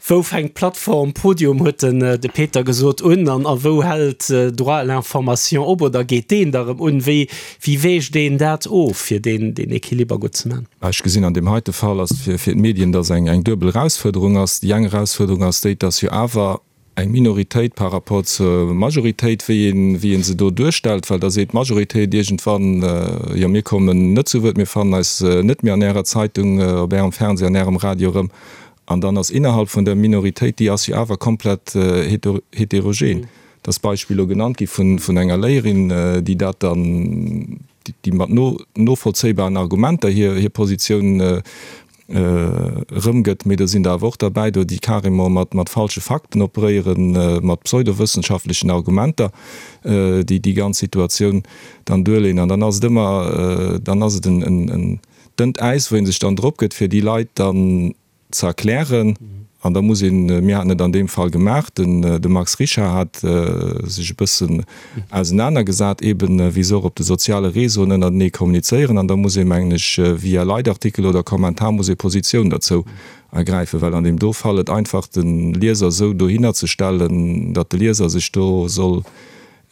Wou fänkt d'Plattform Podium, huet den de Peter gesot, un an a wou hält Droit à l'information op oder geet deen da erëm un? Wéi wéi wägt een dat of, fir deen deen Equiliber gutt ze man? Ech gesinn an deem heite Fall ass fir fir d'Medien, dass eng eng duebel Erausfuerderung ass. Déi eng Erausfuerderung ass déi, dass jo awer eng Minoritéit par rapport zur Majoritéit, wéi een, wéi ee se do duerstellt, well da seet d'Majoritéit iergendwann, jo mir kommen net zu Wuert, mir fannen eis net méi an Ärer Zeitung, op Ärem Fernseh, an Ärem Radio erëm. An dann ass innerhalb vun der Minoritéit, déi ass jo awer komplett heterogen, et ass d'Beispill elo genannt gi vun enger Léierin, déi dat dann, déi mat novollzéibaren Argumenter hir Positioun erëmgëtt, mee do sinn der awer och derbäi do, déi carrément mat mat falsche Fakten operéieren, mat pseudowëssenschaftlechen Argumenter, déi déi ganz Situatioun dann duerleeën. An dann ass et ëmmer, dann ass et en en dënnt Äis, wou ee sech dann drop gëtt, fir déi Leit dann ze erklären. An da muss een, mir haten et an deem Fall gemaach, den de Max Richard hat sech e bëssen ausenanergesat, eeben wéi se och op de soziale Réseauen ënnertenee kommunizéieren. An da muss ee mengen ech via Leitartikel oder Kommentar muss ee Positioun derzou ergräifen, well an deem do Fall et einfach de Lieser esou dohinner ze stellen, datt de Lieser sech do soll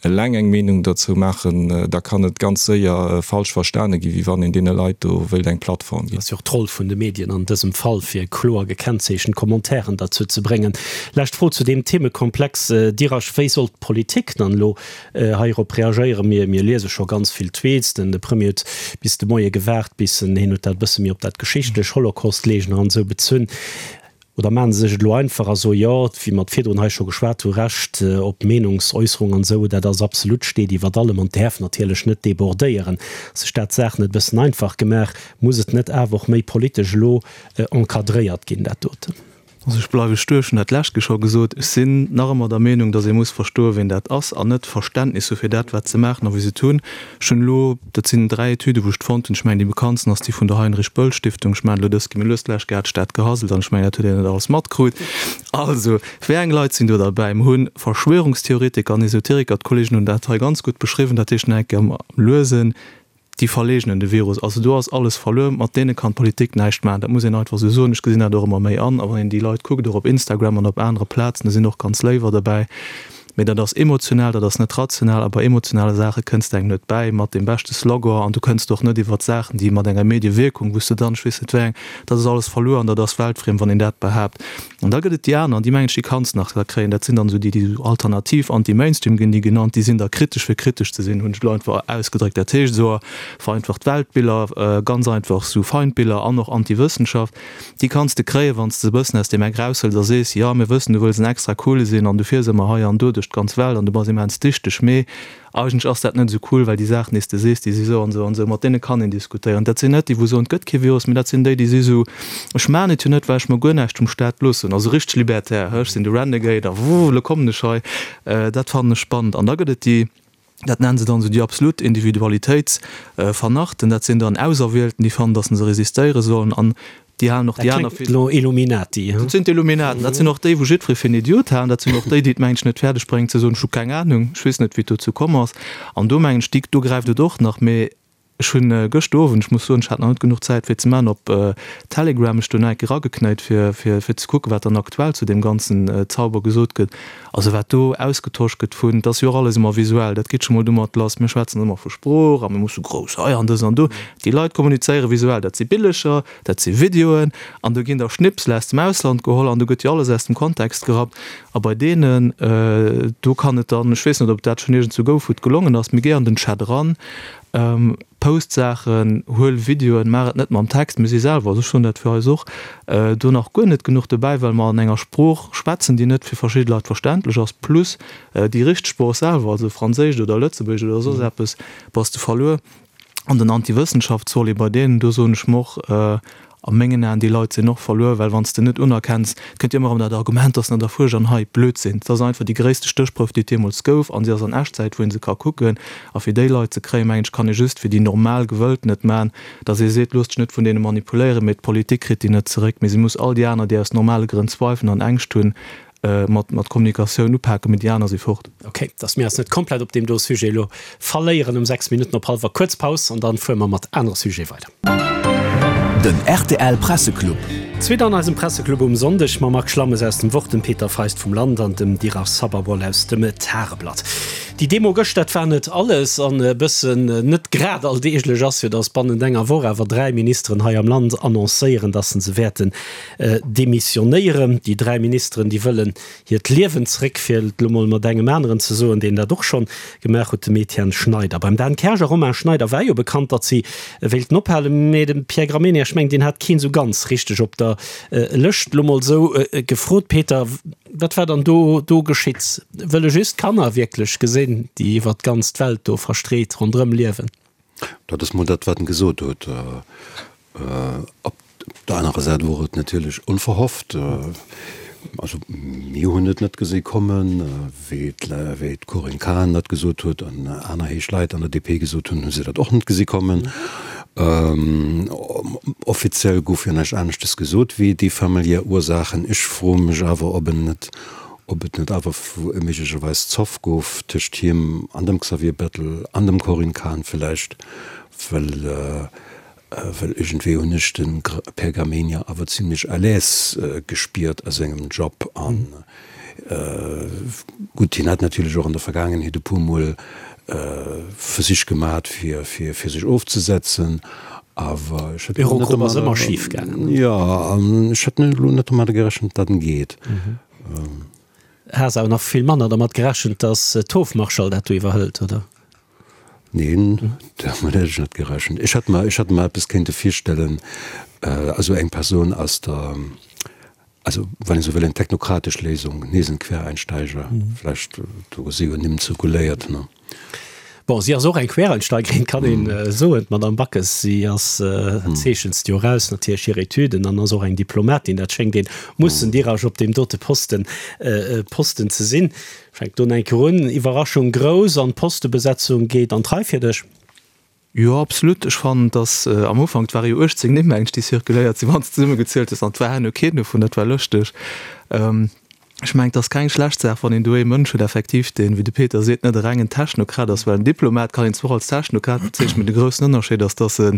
eleng eng Meenung derzou maachen, da kann et ganz séier falsch verstane ginn, wéi wann een deene Leit do wéilt eng Plattform ginn. Ass jo och d'Roll vun de Medien an dësem Fall, fir kloer gekennzeechent Commentairen derzou ze bréngen. Lescht Fro zu deem Themekomplex, Dirasch, Wéi soll d'Politik dann elo heirop reagéieren? Mir mir liese scho ganz vill Tweets, den de Premier huet bis de Moie gewaart, bis en, hien huet dat e bësse méi op dat geschichtlech, Holocaust-Leegner an esou bezunn. Oder maachen se sech et elo einfach a soe jo, wéi mer et virdrun hei scho geschwat hu, Recht op Meenungsäusserung an esou, dat ass absolut, steet iwwert allem an däerf natierlech net débordéieren. Ass sech dat d'Saach net e bëssen einfach gemaach? Muss et net awer och méi politesch elo encadréiert ginn, dat doten? Also ech bleiwe stur, ech hunn dat d'lescht Keer scho gesot, ech sinn nach ëmmer der Meenung, datt ee muss verstoen, wien dat ass an net Verständnis hu fir dat, wat se maachen a wéi se et hunn. Ech hunn elo, dat sinn 3 Etüden, wou ech d'fonnt hunn, ech mengen déi bekanntsten ass déi vun der Heinrich Böll Stiftung, ech maachen elo dës gi mir lues, d'lescht Kéier hat ech dat gehasselt an ech mengen dat huet een net alles matkrut. Also, wéi eng Leit sinn do derbäi? Mer hunn Verschwörungstheoretiker an Esoteriker, d'Kollegen hunn dat hei ganz gutt beschriwwen, dat heescht nach eng Kéier am luesen. Déi verleegnen de Virus. Also do ass alles verluer. Mat deene kann d'Politik näischt maachen. Dat muss een einfach esou soen. Ech gesinn dat och ëmmer méi an. A wann een déi Leit kuckt, och op Instagram an op anere Plazen, do sinn och ganz léiwer derbäi. Mee dat ass emotional, dat ass net rational. A bei emotionale Saache kënns de engem net bäi mat deem beschte Slogan. An du kënns och net iwwert Saachen, déi mat enger Mediewierkung, wou s de dann, ech weess net wéi eng, dat ass alles verluer an dat ass weltfriem, wann een dat behaapt. An da gëtt et déi aner, an déi mengen ech, déi kanns nach da kréien, dat sinn dann esou déi, déi esou alternativ, anti-mainstream ginn déi genannt, déi sinn da kritesch fir kritesch ze sinn, hunn ech elo einfach ausgedréckt. Dat heescht esou vereinfacht Weltbiller, ganz einfach esou Feindbiller an och Anti-Wëssenschaft, déi kanns de kréien, wann s de se e bëssen aus deem Eck eraushëls a sees, jo mir wëssen, du wëlls en extra coole sinn an du fiers ëmmer hei an do duerch d'ganz Welt an du bass immens dichteg, mee Eigentlech ass dat net esou cool, well déi Saachen, déi s de sees, déi si sou an esou an esou. Mat deene kann een diskutéieren. Dat sinn net déi, wou soen, et gëtt kee Virus, mee dat sinn déi, déi si sou, ech maachen et jo net, well ech mer guer näischt vum Staat loossen. Also richteg libertär, hë, ech sinn de Renegade a wuh, elo kommen ech hei. Dat fannen ech spannend. An da gëtt et déi, dat nennen se dann esou déi absolut Individualitéitsvernarrten, dat sinn dann Auserwielten, déi fannen, datt se resistéiere sollen an Déi halen och déi aner fir. Lo Illuminati, hein? Dat sinn d'Illuminaten. Dat sinn och déi, wou jiddweree fir en Idiot halen. Dat sinn och déi, déi et, mengen ech, net fäerdeg bréngen ze soen, ech hu keng Anung, ech weess net, wéi et dozou komm ass. An do, mengen ech, déi, do gräift et och nach. Mee ech hunn gëschter Owend, ech muss soen, ech hat nach net genuch Zäit fir et ze maachen, op Telegram mech do nach eng Kéier erageknéit, fir, fir, fir ze kucken, wat dann aktuell zu deem ganzen Zauber gesot gëtt. Also wat do ausgetosch gëtt vun, et ass jo och alles ëmmer visuell, dat geet scho mol domat lass, mir schwätzen ëmmer vu Sprooch a mir musse grouss hei an dës an do. Déi Leit kommunizéiere visuell, dat si Billecher, dat si Videoen an do ginn da Schnipsel aus dem Ausland geholl an do gëtt jo alles aus dem Kontext gerappt. A bei deenen do kann et dann, ech weess net, ob et dat schonn iergendzwou gouf, wou et gelongen ass, mee géi an den Chat eran, post Saachen, huel Videoen, maach et net mam Text. Mir si selwer, also ech soen dat fir eis och, do nach guer net genuch dobäi, well mer an enger Sprooch schwätzen, déi net fir verschidde Leit verständlech ass, plus déi richteg Sprooch selwer, also Franséisch oder Lëtzebuergesch oder soss eppes, bass de verluer. An den Antiwëssenschaftsvolet bei deenen, do soen ech mer och, a mengen Aen, déi Leit sinn och verluer, well wann s de net unerkenns, et kënnt jo ëmmer erëm dat Argument, dass an der Fuersch an hei, Blödsinn, et ass einfach déi gréisste Stéchprouf, déi et deemools gouf, a si ass an Echtzäit, wou ee se ka kucken. A fir déi Leit ze kréien, mengen ech, kann ee just fir déi normal Gewëllten et maachen, dass ee seet, loosst dech net vun deene manipuléieren, mee d'Politik kritt déi net zeréck, mee si muss all déi aner, déi aus normale Grënn zweifeln an Ängscht hunn, mat mat Kommunikatioun upaken, mee déi aner si fort. Ok, dass mir eis net komplett op deem do Sujet elo verléieren. Um 6 Minutten op hallwer kuerz Paus an dann fuere mer mat anere Sujete weider. Den rtl Presseclub. Zweet an eisem Presseclub um Sonndeg mam Marc Schlammes aus dem Wort, dem Peter Feist vum Land an dem Dirac Sababol aus dem Tageblatt. Déi Demo gëscht, dat war net alles an e bëssen net grad alldeeglech ass jo, dass bannent enger Woch awer 3 Ministeren hei am Land annoncéieren, dass se se wäerten Demissionéieren. Déi 3 Ministeren, déi wëllen hiert Liewen zréck, fir et elo mol mat engem aneren ze soen, deen dat och schonn gemaach huet, dem Etienne Schneider. Beim Dan Kersch a Romain Schneider war jo bekannt, datt si wéilten ophalen, mee de Pierre Gramegna, ech mengen, deen hat keen esou ganz richteg op der Lëscht. Elo mol esou gefrot, Peter, wat war dann do do geschitt? Wëlle just d'Kanner wierklech gesinn, déi iwwer d'ganz d'Welt do verstreet ronderëm liewen? Dat ass mol dat, wat en gesot huet. Op der anerer Säit wor et natierlech onverhofft. Also mir hunn et net gesi kommen. Wéi d'Corinne Cahen dat gesot huet an aner héich Leit an der DP gesot hunn, hu se dat och net gesi kommen. Offiziell gouf jo näischt aneschtes gesot wéi déi familiär Ursaachen. Ech froe mech awer, ob en net, ob et net awer méiglecherweis Zoff gouf tëscht him an dem Xavier Bettel an dem Corinne Cahen villäicht, well Well iergendwéi hunn ech de Pergamenia awer zimlech à l'aise gespiert a sengem Job. An gutt, hien hat natierlech och an der Vergaangenheet e puer Mol Versich gemat fir sech ofzesetzen, awer ech hätt elo net Eurogrupp ass ëmmer schif gaangen. Jo, an ech hätt elo net domadder gerechent, datt en geet. Has awer nach vill manner dermat gerechent, datt d'Hofmarschall dat do iwwerhëlt, oder? Neen, domat hätt ech net gerechent. Ech hätt mer, ech hätt mer eppes kéinte virstellen, also eng Persoun aus der, also wann ee sou wëll, eng technokratesch Léisung, nees en Quereinsteiger vläicht, do si jo Nimm zirkuléiert, ne? Bon, si ass och eng Quereinsteigerin, kann een soen, d'Madame Backes. Si ass, dat zeechent se jo eraus natierlech, hir Etüden, an ass och eng Diplomatin. Dat schéngt een mussen dirach op deem dote Posten, Posten ze sinn. Fänkt do eng Kéier un, Iwwerraschung grouss an d'Postebesetzung geet an d'Rei fir dech? Jo, absolut. Ech fannen, dass am Ufank, et ware jo 18 Nimm mengen ech, déi zirkuléiert sinn, wann s de zesummegezielt hues, an et war herno keen dovun, dat war lëschteg. Ech mengen, et ass keng schlecht Saach, wann een do ee Mënsch huet effektiv, deen, wéi de Peter seet, net e rengen Technokrat ass, well en Diplomat kann een zwar och als Technokrat bezeechnen, mee de groussen Ënnerscheed ass, dass en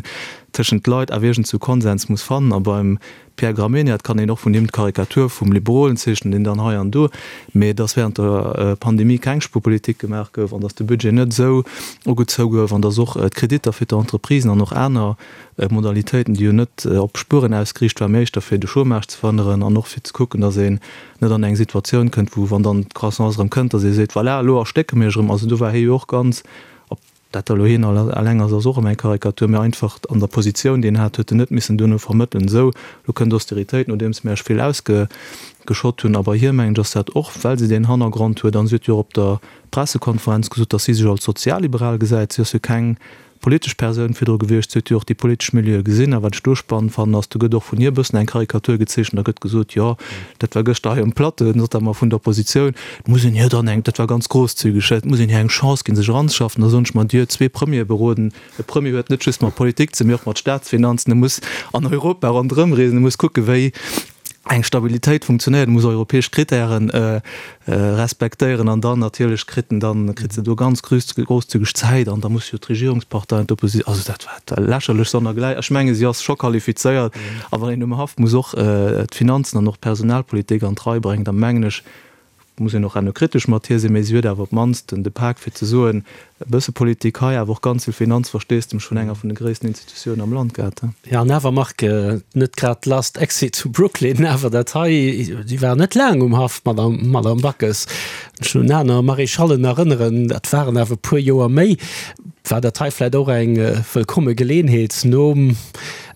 tëschent Leit awer iergendsou Konsens muss fannen. A beim Pierre Gramegna, et kann een och vun him d'Karikatur vum Liberolen zeechnen, deen dann hei an do, mee dass während der Pandemie keng Spuerpolitik gemaach gouf an dass de Budget net esou ugezou gouf an dass och d'Kreditter fir d'Entreprisen an och aner Modalitéiten, déi jo net op Spueren ausgeriicht waren, mee éischter fir de Chômage ze verhënneren an och fir ze kucken, dass een net an eng Situatioun kënnt, wou, wann dann d'Croissance erëm kënnt, dass ee seet, voilà, elo erstécke mir iech erëm. Also do war hie jo och ganz, ob dat da elo hien eleng ass, ass och erëm eng Karikatur, mee einfach an der Positioun, déi en hat, huet en net missen duerno vermëttelen, esou, elo kënnt Austeritéit, nodeems mir iech vill ausgeschott hunn. A bei hir, mengen ech, ass dat och, well se deen Hannergrond huet, an si huet jo och op der Pressekonferenz gesot, dass si sech als sozialliberal gesäit, si ass jo keng politesch Persoun virdru gewiescht, si huet jo och déi politesch Milieue gesinn. A wat ech do spannend fannen, ass, do gëtt och vun hir e bëssen eng Karikatur gezeechent, da gëtt gesot, jo, dat war gëschter hei um Plateau, notamment vun der Oppositioun, et muss een hir dann eng, dat war ganz grosszügeg, et muss een hir eng Chance ginn, sech eranzeschaffen. Da soen ech mer, Dir huet zwee Premiere beroden, e Premier huet net just mat Politik ze, mee och mat Staatsfinanzen, e muss an Europa ronderëmreesen, e muss kucken, wéi eng Stabilitéit funktionéiert, muss europäesch Kritären respektéieren an dann natierlech kritt en dann, kritt se do ganz grosszügeg Zäit an da muss jo d'Regierungspartei an d'Opposi-, also dat war lächerlech sonnergläich. Ech menge si ass scho qualifizéiert a wann een um Haff muss och d'Finanzen an och d'Personalpolitik an d'Rei bréngen, da mengen ech, muss een och herno kritesch mat hir sinn, mä si huet awer op d'mannst de Pak fir ze soen, e bësse Politik hei, awer och ganz vill Finanzversteesdemech vun enger vun de gréissten Institutiounen am Land gehat. Jo, an awer, Marc, net grad Last Exit to Brooklyn, awer dat hei, déi war net laang um Haff, d'Madame, d'Madame Backes. Ech un aner Maréchallen erënneren, dat waren awer e puer Joer méi. War dat hei vläicht och eng wëllkomme Geleenheet, nom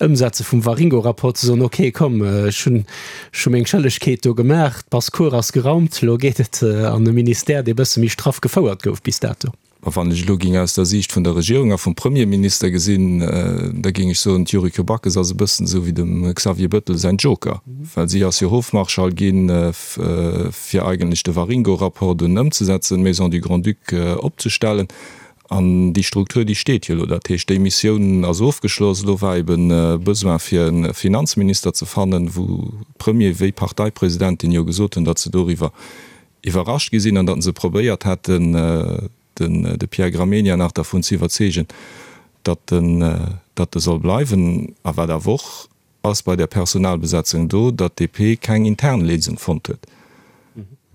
Ëmsetze vum Waringo-Rapport ze soen, okay, komm, ech hunn, Ech hu meng Schëllegkeet do gemaach, d'Basse-Cour ass geraumt, elo geet et an e Ministère, dee bësse méi straff gefouert gouf bis dato. A wann ech elo géing aus der Siicht vun der Regierung a vum Premierminister gesinn, da géing ech soen, d'Yuriko Backes ass e bëssen esou wéi dem Xavier Bettel säin Joker, well si ass jo Hofmarschall ginn, fir eigentlech de Waringo-Rapport dunn ëmzesetzen, d'Maison du Grand-Duc opzestellen. An déi Struktur, déi steet jo elo. Dat heescht, déi Missioun ass ofgeschloss. Elo war eben e Besoin, fir e Finanzminister ze fannen, wou Premier wéi Parteipresidentin jo gesot hunn, datt se doriwwer iwwerrascht gi sinn an datt se probéiert hätten, de Pierre Gramegna nach dervun ze iwwerzeegen, datt en datt e soll bleiwen. A wat awer och ass bei der Personalbesetzung do, datt d'DP keng intern Léisung fonnt huet.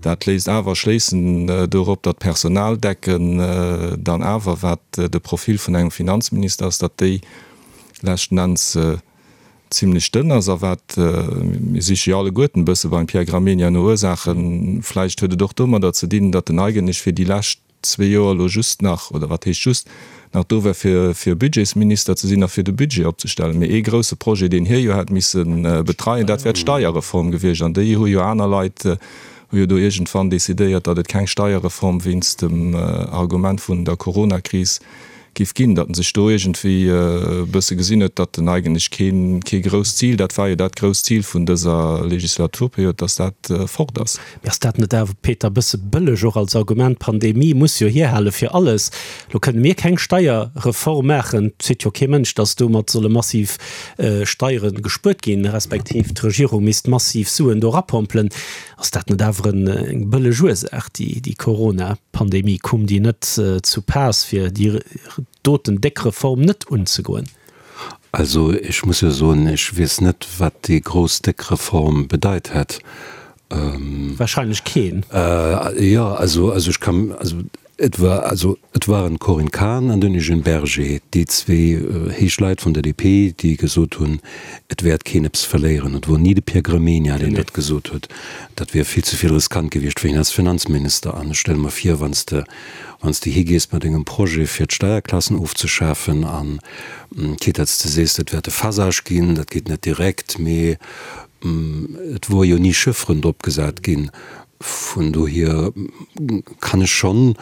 Dat léisst awer schléissen dorop, datt d'Personaldecken dann awer, wat de Profil vun engem Finanzminister ass, datt déi leschten Enns zimlech dënn ass. A wat, mir siche jo alleguerten e bësse beim Pierre Gramegna no Ursaachen, vläicht huet et och domadder ze dinn, datt en eigentlech fir déi lescht zwee Joer elo just nach, oder wat heescht just, nach do war fir fir Budgetsminister ze sinn a fir de Budget opzestellen. Mee ee grouse Projet, deen hie jo hätt misse betreien, dat wär d'Steierreform gewiescht. An déi hu jo aner Leit, hu jo do iergendwann decidéiert, datt et keng Steierreform wéinst dem Argument vun der Coronakris giff ginn, datt en sech do iergendwéi e bësse gesinn huet, datt en eigentlech keen, kee grousst Zil, dat war jo dat grousst Zil vun dëser Legislaturperiod, datt dat fort ass. Mee ass dat net awer, Peter, e bësse bëlleg och als Argument? D'Pandemie muss jo hierhale fir alles. Lo kënne mir keng Steierreform maachen. Et seet jo kee Mënsch, datt domat solle massiv Steiere gespuert ginn, respektiv d'Regierung misst massiv Suen do erapompelen. Ass dat net awer eng bëlleg Ursaach, déi Corona-Pandemie? Koum déi net zu Paass, fir déi doten déck Reform net unzegoen? Also ech muss jo soen, ech weess net, wat déi grouss déck Reform bedeit hätt. Wahrscheinlech keen. Jo, also ech kann, also Et war also, et waren d'Corinne Cahen an den Eugène Berger, déi zwee héich Leit vun der DP, déi gesot hunn, et wäert keen eppes verléieren. Et wor ni de Pierre Gramegna, deen dat gesot huet. Dat wier vill ze vill riskant gewiescht fir hien als Finanzminister. An ech stelle mer vir, wann s de, wann s de higees mat engem Projet fir d'Steierklassen ofzeschafen an quitte datt s de sees, dat wäert e Phasage ginn, dat geet net direkt, mee et wor jo ni Chifferen drop gesat ginn, Vun dohier kann ech schonn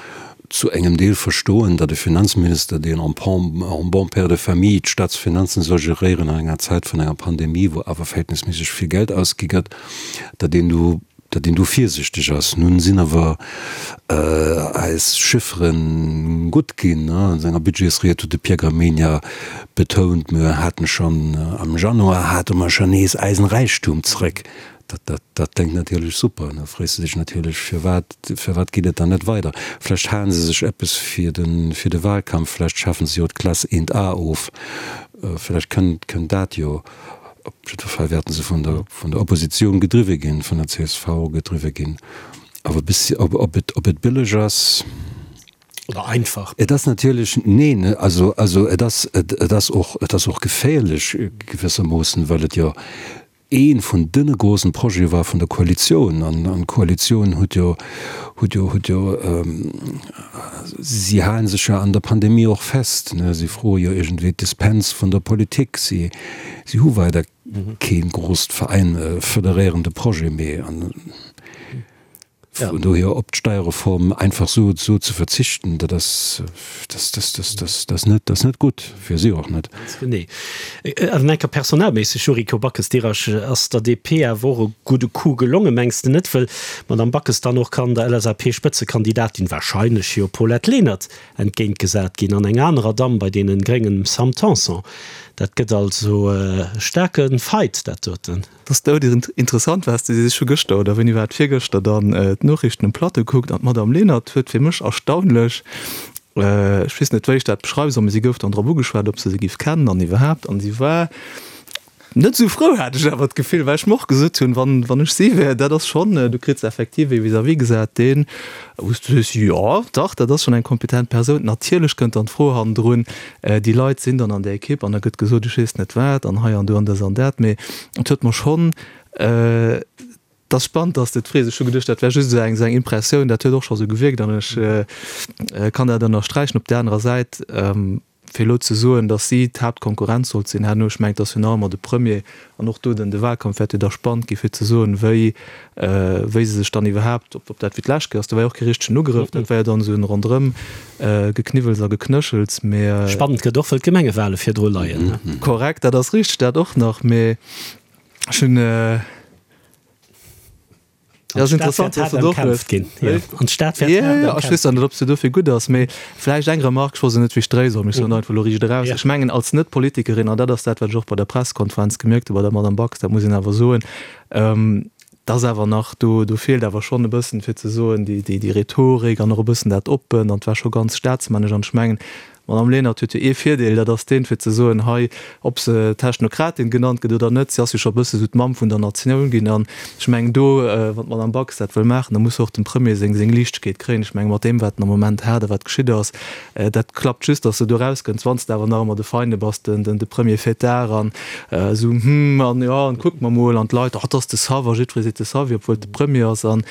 zu engem Deel verstoen, datt e Finanzminister, deen en bon père de famille d'Staatsfinanzen soll geréieren an enger Zäit vun enger Pandemie, wou awer verhältnisméisseg vill Geld ausgi gëtt, datt een do, datt een do virsichteg ass. Nun sinn awer eis Chiffere gutt ginn. A senger Budgetsried huet de Pierre Gramegna betount, mir haten schonn am Januar hate mer schonn nees eisen Räichtum zrëck. dat, dat, dat kléngt natierlech super. An da frees de dech natierlech, firwat, firwat geet et dann net weider? Vlächtt halen se sech eppes fir de, fir de Wahlkampf, vlächtt schafen se jo d'Klass 1A of, vlächtt kënnt, kënnt dat jo. Op jidder Fall wäerten se vun der, vun der Oppositioun gedriwwe ginn, vun der csv gedriwwe ginn. Awer bis, ob, ob et, ob et bëlleg ass. Oder einfach. Et ass natierlech, neen, also, also et ass, et, et ass och, et ass och geféierlech gewissermoossen, well et jo ee vun de grossen Projete war vun der Koalitioun. An, an d'Koalitioun huet jo, huet jo, huet jo, si hale sech jo an der Pandemie och fest, ne, si froe jo iergendwéi d'Dispens vun der Politik, si, si hu weider kee groosst Veräin, federéierende Projet méi. An vun dohier op d'Steierreform einfach sou sou ze verzichten, dat ass, dat, dat, dat, dat, dat ass net, dat ass net gutt, fir si och net. Ganz genee. Awer enker personalméisseg, Yuriko Backes, dir ass der DP awer och e gudde Coup gelongen, mengs de net? Wëll d'Madame Backes dann och kann der LSAP-Spëtzekandidatin, wahrscheinlech jo Paulette Lenert, entgéintgesat ginn an enger anerer Damm bei deenen Gréngen, dem Sam Tanson. Dat gëtt also e staarke Fight, dat doten. Et ass dout interessant, wat s de sees. Ech hu gëschter, oder wéini war et, virgëschter dann d'Noriichten um Plateau gekuckt an d'Madame Lenert huet fir mech erstaunlech, ech weess net wéi ech dat beschreiwe soll, mee si gouf dann drop ugeschwat, ob se se giff kennen an iwwerhaapt an si war net esou frou, hat ech awer d'Gefill, well ech mer och gesot hunn, wann, wann ech si wär, dat ass schonn, du kritt effektiv ee vis-à-vis gesat, deen, wou s du sees, jo dach, dat ass schonn eng kompetent Persoun. Natierlech kënnt dann d'Fro hannendrun, Déi Leit sinn dann an där Ekipp an da gëtt gesot, ech weess net wat an hei an do an dës an dat. Mee et huet mer schonn, et ass spannend, datt s de et frees, ech hu geduecht, dat wär just esou eng, esou eng Impressioun, dat huet och scho sou gewierkt an ech kann dat ënnersträichen. Op där anerer Säit, fir elo ze soen, datt si d'Haaptkonkurrenz sollt sinn herno, ech mengen, et ass jo nach ëmmer de Premier an och do den, de Wahlkampf wäert jo da spannend gi fir ze soen, wéi, wéi se sech dann iwwerhaapt, ob dat wéi d'lescht Kéier ass, do war jo och kee richtegen Ugrëff, dat war jo dann esou en Ronderëm Gekniwwels a Geknëschels, mee. Spannend gëtt och, wëll d'Gemengewale virdru leien. Korrekt, dat ass richteg, dat och nach, mee ech hunn, jo, ass interessant, dass de et och hues. An d'Stad wäert haart Jo, ech weess dann net, ob se dofir gutt ass, mee vläicht eng Remark, ech wollt se net wéi Stréi soen, mee ech soen einfach elo riicht eraus, Ech mengen, als Net-Politikerin, an dat ass dat, wat ech och bei der Pressekonferenz gemierkt hu bei der Madame Bax, dat muss een awer soen, Et ass awer nach, do do feelt awer schonn e bëssen, fir ze soen, déi déi déi Rhetorik an och e bëssen dat Oppent an et war scho ganz staatsmännesch. An ech mengen, d'Madame Lenert huet jo ee Virdeel, dat ass deen, fir ze soen, hei, ob se Technokratin genannt gëtt oder net, si ass jo scho e bësse sou d'Mamm vun der Natioun ginn. An ech mengen do, wann d'Madame Bax dat wëll maachen, da muss se och dem Premier seng seng Liichtegkeet kréien. Ech mengen, mat deem, wat en am Moment hat a wat geschitt ass, Dat klappt just, datt s de do erauskënns, wann s de awer nach ëmmer de Feinde bass, den, den, de Premier Fêtard an esou, hm, an jo, an kucke mer mol, an d'Leit, oh, 't ass de Sav, a jiddweree seet de Savi, obwuel et de Premier ass. An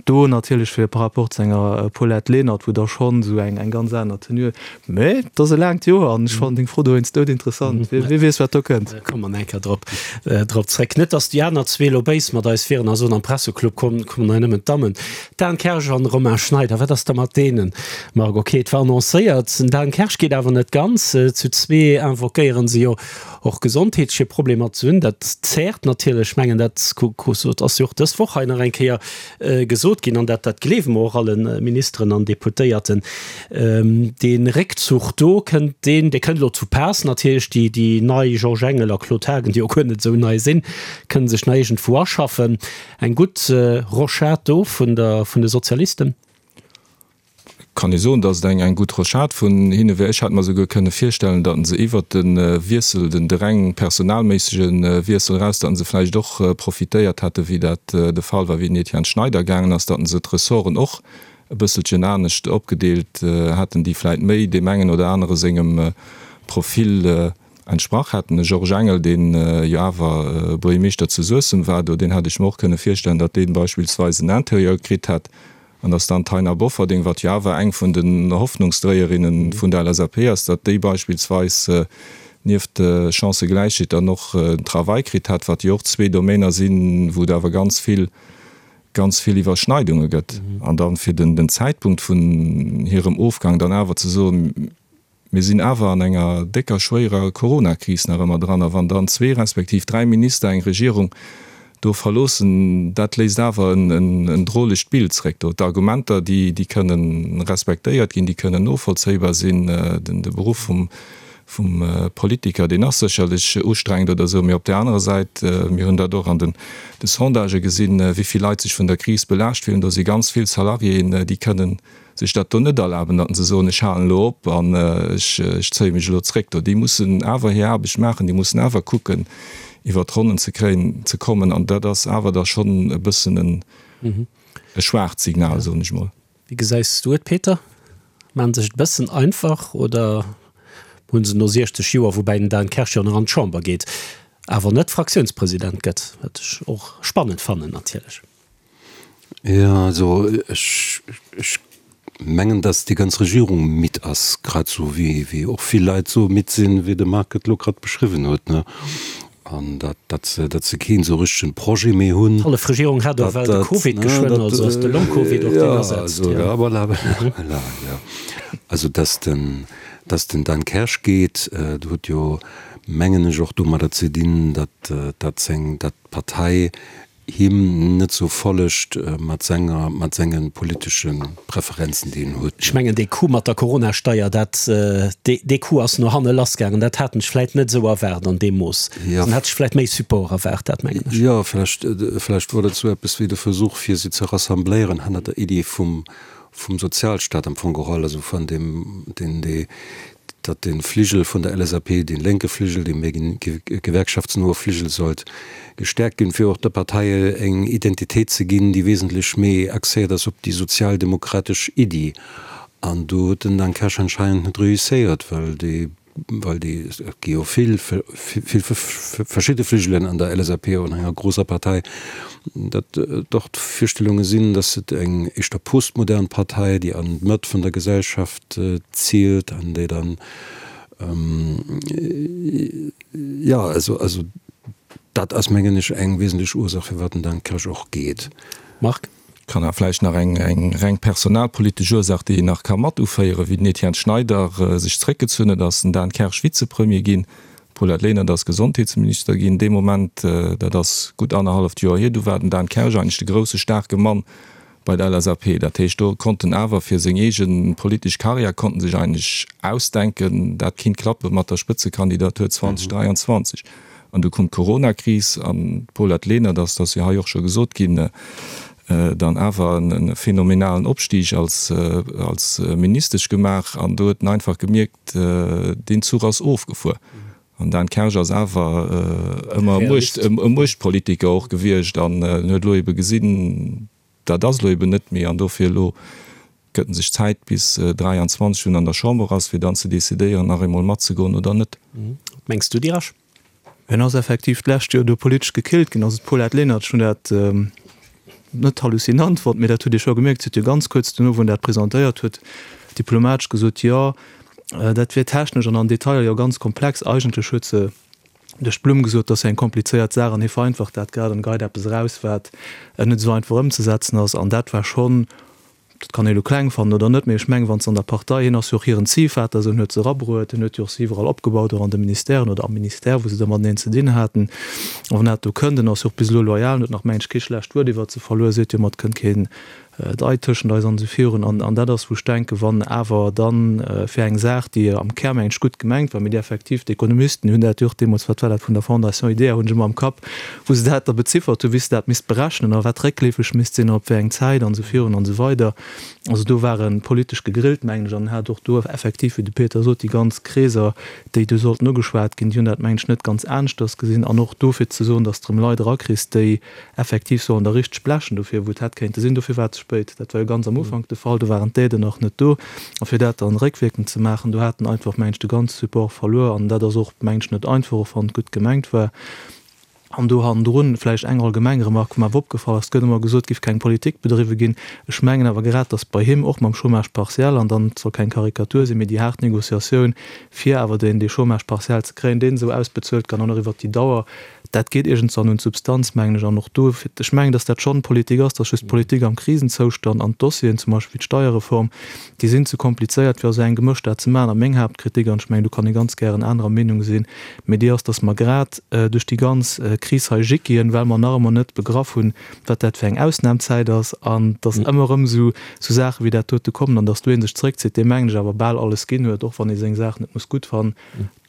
do natierlech fir par rapport zu enger Paulette Lenert, wou da schonn esou eng, eng ganz aner Tenue huet. Mä et ass e laangt Joer an ech fannen deng Fro dowéinst doudinteressant. Wie, wie weess, wat do kënnt. Komme mer nach eng Kéier drop, drop zréck. Net, datt déi aner zwee elo béis mat eis wieren a soen, am Presseclub kommen, kommen hei nëmmen d'Dammen. Dan Kersch an Romain Schneider, wat ass da mat deenen? Marc, Ok, et war annoncéiert, den Dan Kersch geet awer net ganz. Zu zwee invoquéieren se jo och gesondheetleche Problemer ze hunn. Dat zäert natierlech. Ech mengen, dat ass jo och dës Woch hei nach eng Kéier gesot ginn an dat gleewe mer och alle Ministeren an Deputéierten. Dee Réckzuch do, kënnt deen, dee kënnt elo zu Paass natierlech. Déi nei Georges Engel a Claude Haagen, déi jo guer net esou nei sinn, kënne sech nach iergendwou aschaffen. Eng gutt Rochade do vun der vun de Sozialisten. Kann ee soen, datt et eng eng gutt Rochade vun hinne wär. Ech hätt mer souguer kënne virstellen, datt se iwwert de Wiessel, den de reng personalméissege Wiessel eraus, datt se vläicht och profitéiert hätte wéi dat de Fall war, wéi den Etienne Schneider gaangen ass, datt se d'Ressorten och e bësselchen anescht opgedeelt hätten, déi vläicht méi deem engen oder anere sengem Profil Entsprach hätten. De Georges Engel, deen jo awer Buergermeeschter zu Suessem war do, deen hätt ech mer och kënne virstellen, datt dee beispillsweis en Interieur kritt hätt an datt dann d'Taina Bofferding, wat jo awer eng vun den Hoffnungsdréierinne vun der LSAP ass, datt déi beispillsweis nieft Chancëgläichheet dann och den Travail kritt hätt, wat jo och zwee Domainer sinn, wou et awer ganz vill, ganz vill Iwwerschneidunge gëtt. An dann fir den Zäitpunkt vun hirem Ofgang dann awer ze soen, Mir sinn awer an enger décker, schwéierer Coronakris nach ëmmer dran. A wann dann zwee respektiv dräi Minister eng Regierung do verloossen, dat léisst awer en drolegt Bild zréck do. D'Argumenter, déi kënnen respektéiert ginn, déi kënnen novollzéibar sinn. De Beruff vum. Vum Politiker, deen ass sécherlech ustrengend oder esou, mee op där anerer Säit, mir hunn dat och an den Sondagë gesinn, wéi vill Leit sech vun der Kris belaascht fillen, do si ganz vill Salariéen, déi kënnen sech dat do net erlaben, datt se soen, ech halen elo op an ech zéie mech elo zréck do. Déi mussen awer hir Aarbecht maachen, déi mussen awer kucken, iwwert d'Ronnen ze kréien, ze kommen an dat ass awer da schonn e bëssen e schwaacht Signal, soen ech mol. Wéi gesäis du et, Peter? Maachen se sech et e bëssen einfach oder hu se no 60 Joer, woubäi den Dan Kersch jo nach an d'Chamber geet, awer net Fraktiounspresident gëtt, wat ech och spannend fannen natierlech. Jo, also ech ech mengen, datt déi ganz Regierung midd ass, grad esou wéi wéi och vill Leit esou midd sinn, wéi de Marc et elo grad beschriwwen huet, ne. An datt, datt se, datt se keen esou richtegen Projet méi hunn. D'hallef Regierung hat och well de Covid geschwënn, also ass de Long-Covid och deen asetzt. Ja, voilà, voilà, ja. Also datt den, datt den Dan Kersch geet, dat huet jo, mengen ech, och domadder ze dinn, datt, datt seng, datt d'Partei him net sou follegt mat senger, mat senge politesche Preferenzen, déi en huet. Ech mengen, dee Coup mat der Coronasteier, dat, dee Coup ass no hanne lassgaangen. Dat haten ech vläit net esou erwaart an deem Mooss. Dann hätt ech vläit méi Support erwaart, dat mengen ech. Jo, vläicht, vläicht wor dat esou eppes wéi de Versuch, fir si ze rassembléieren hannert der Iddi vum, vum Sozialstaat am Fong geholl, also vun deem, deen, dee, datt de Fligel vun der LSAP, dee lénke Fligel, dee méi gewerkschaftsnoe Fligel sollt gestäerkt ginn, fir och der Partei eng Identitéit ze ginn, déi wesentlech méi axéiert ass op déi sozialdemokratesch Iddi. An do huet den Dan Kersch anscheinend net reusséiert, well déi, well déi, et gi jo vill, vill verschidde Fligelen an der LSAP, och an enger grousser Partei, datt et och d'Virstellunge sinn, datt et eng éischter postmodern Partei, déi an d'Mëtt vun der Gesellschaft, zielt an déi dann, jo, also, also dat ass, mengen ech, eng wesentlech Ursaach, firwat den Dan Kersch och geet. Marc? Kann awer vläicht nach eng, eng reng personalpolitesch Ursaach, déi een nach ka mat uféieren, Wéi den Etienne Schneider sech zréckgezunn huet, ass den Dan Kersch Vizepremier ginn, d'Paulette Lenert ass Gesondheetsminister ginn. Dee Moment, dat ass gutt annerhalleft Joer hier, du war den Dan Kersch eigentlech de grousse staarke Mann bei der LSAP. Dat heescht, do konnt en awer fir seng eege politesch Karriär, konnt en sech eigentlech ausdenken, dat kinnt klappe mat der Spëtzekandidatur 2023. An du koum d'Coronakris an d'Paulette Lenert ass, dat ass jo hei och scho gesot ginn, dann awer e phänomenalen Opstig als als Ministesch gemaach. An do huet en einfach gemierkt, deen Zuch ass ofgefuer. An Dan Kersch ass awer ëmmer e Muechtpolitiker och gewiescht an en huet elo ebe gesinn, dat ass elo eben net méi. An dofir elo gëtt en sech Zäit bis 23, wou en an der Chamber ass, fir dann ze decidéieren, nach eemol matzegoen oder net. Wat mengs du, Dirasch? En ass effektiv d'lescht Joer do politesch gekillt ginn. Also d'Paulette Lenert, ech hunn dat net halluzinant fonnt, mee dat huet ee scho gemierkt, si huet jo ganz kuerz dono, wou en dat presentéiert huet, diplomatesch gesot, jo, dat wier technesch an an Detailer jo ganz komplex. Eigentlech huet se duerch d'Blumm gesot, dat ass jo eng komplizéiert Saach an hie vereinfacht dat grad an geit eppes eraus, wat net esou einfach ëmzesetzen ass. An dat war schonn, dat kann ee elo kleng fannen oder net, mee ech mengen, wann s an der Partei, hien ass jo och hiren Ziehvater, esou, en huet se erabruet, en huet jo och se iwwerall opgebaut, och an de Ministèren oder am Ministère, wou se da mateneen ze dinn haten. A wann dat do kënnt, en ass jo och bis elo loyal, en huet nach, mengen ech, kee schlecht Wuert iwwert se verluer, seet jo mat, kënnt keen Dei tëschent eis an esou virun. An dat ass, wou ech denken, wann awer dann fir eng Saach, déi am Kär, mengen ech, gutt gemengt war, mee déi effektiv, d'Ekonomisten hunn dat jo och deemools, wat war dat, vun der Fondation IDEA, hunn ech ëmmer am Kapp, wou se dat da beziffert hunn, wéi se dat misst berechnen a wat réckleefeg misst sinn an op wéi eng Zäit an esou virun an esou weider. Also do war e politesch gegrillt, mengen ech, an en hat och do effektiv, wéi de Peter sot, déi ganz Kreeser, déi do sollten ugeschwat ginn, déi hunn dat, mengen ech, net ganz aneschters gesinn. An och do, fir ze soen, datt s de erëm Leit erakriss, déi effektiv sollen der richteg blechen dofir, wou et hätt kéinte sinn. Dofir war et ze spéit. Dat war jo ganz am Ufank de Fall, do waren d'Aiden nach net do. A fir dat dann réckwierkend ze maachen, do hat en einfach, mengen ech, de ganze Support verluer. An dat ass och, mengen ech, net einfach, och wann et gutt gemengt war. An do hannendrun vläicht eng allgemeng Remark, wou mer awer opgefall ass, Et gëtt ëmmer gesot, et géif keng Politik bedriwwe ginn. Ech mengen awer grad, datt bei him, och mam Chômage partiel, an dann, et soll keng Karikatur sinn, mee déi haart Négociatioun, fir awer deen, dee Chômage partiel ze kréien, deen esou ausbezuelt gëtt an och iwwert déi Dauer, Dat geet iergendwann un d'Substanz, mengen ech. An och do, ech mengen, datt dat schonn Politik ass, datt just d'Politik am Krisenzoustand an d'Dossieren, zum Beispill wéi d'Steierreform, déi sinn ze komplizéiert, fir a sou engem Gemësch dat ze maachen. A meng Haaptkritik, an ech mengen, do kann ee ganz gären anerer Meenung sinn, mee déi ass, datt mer grad duerch déi ganz. Kris hei jickien, well mer nach ëmmer net begraff hunn, wat dat fir eng Ausnamzäit ass an dass ëmmer erëm esou Saache wéi dat dote kommen an dass do ee sech zréckzitt, dee mengen ech awer bal alles ginn huet, och wann ee seng Saach net muss gutt fannen.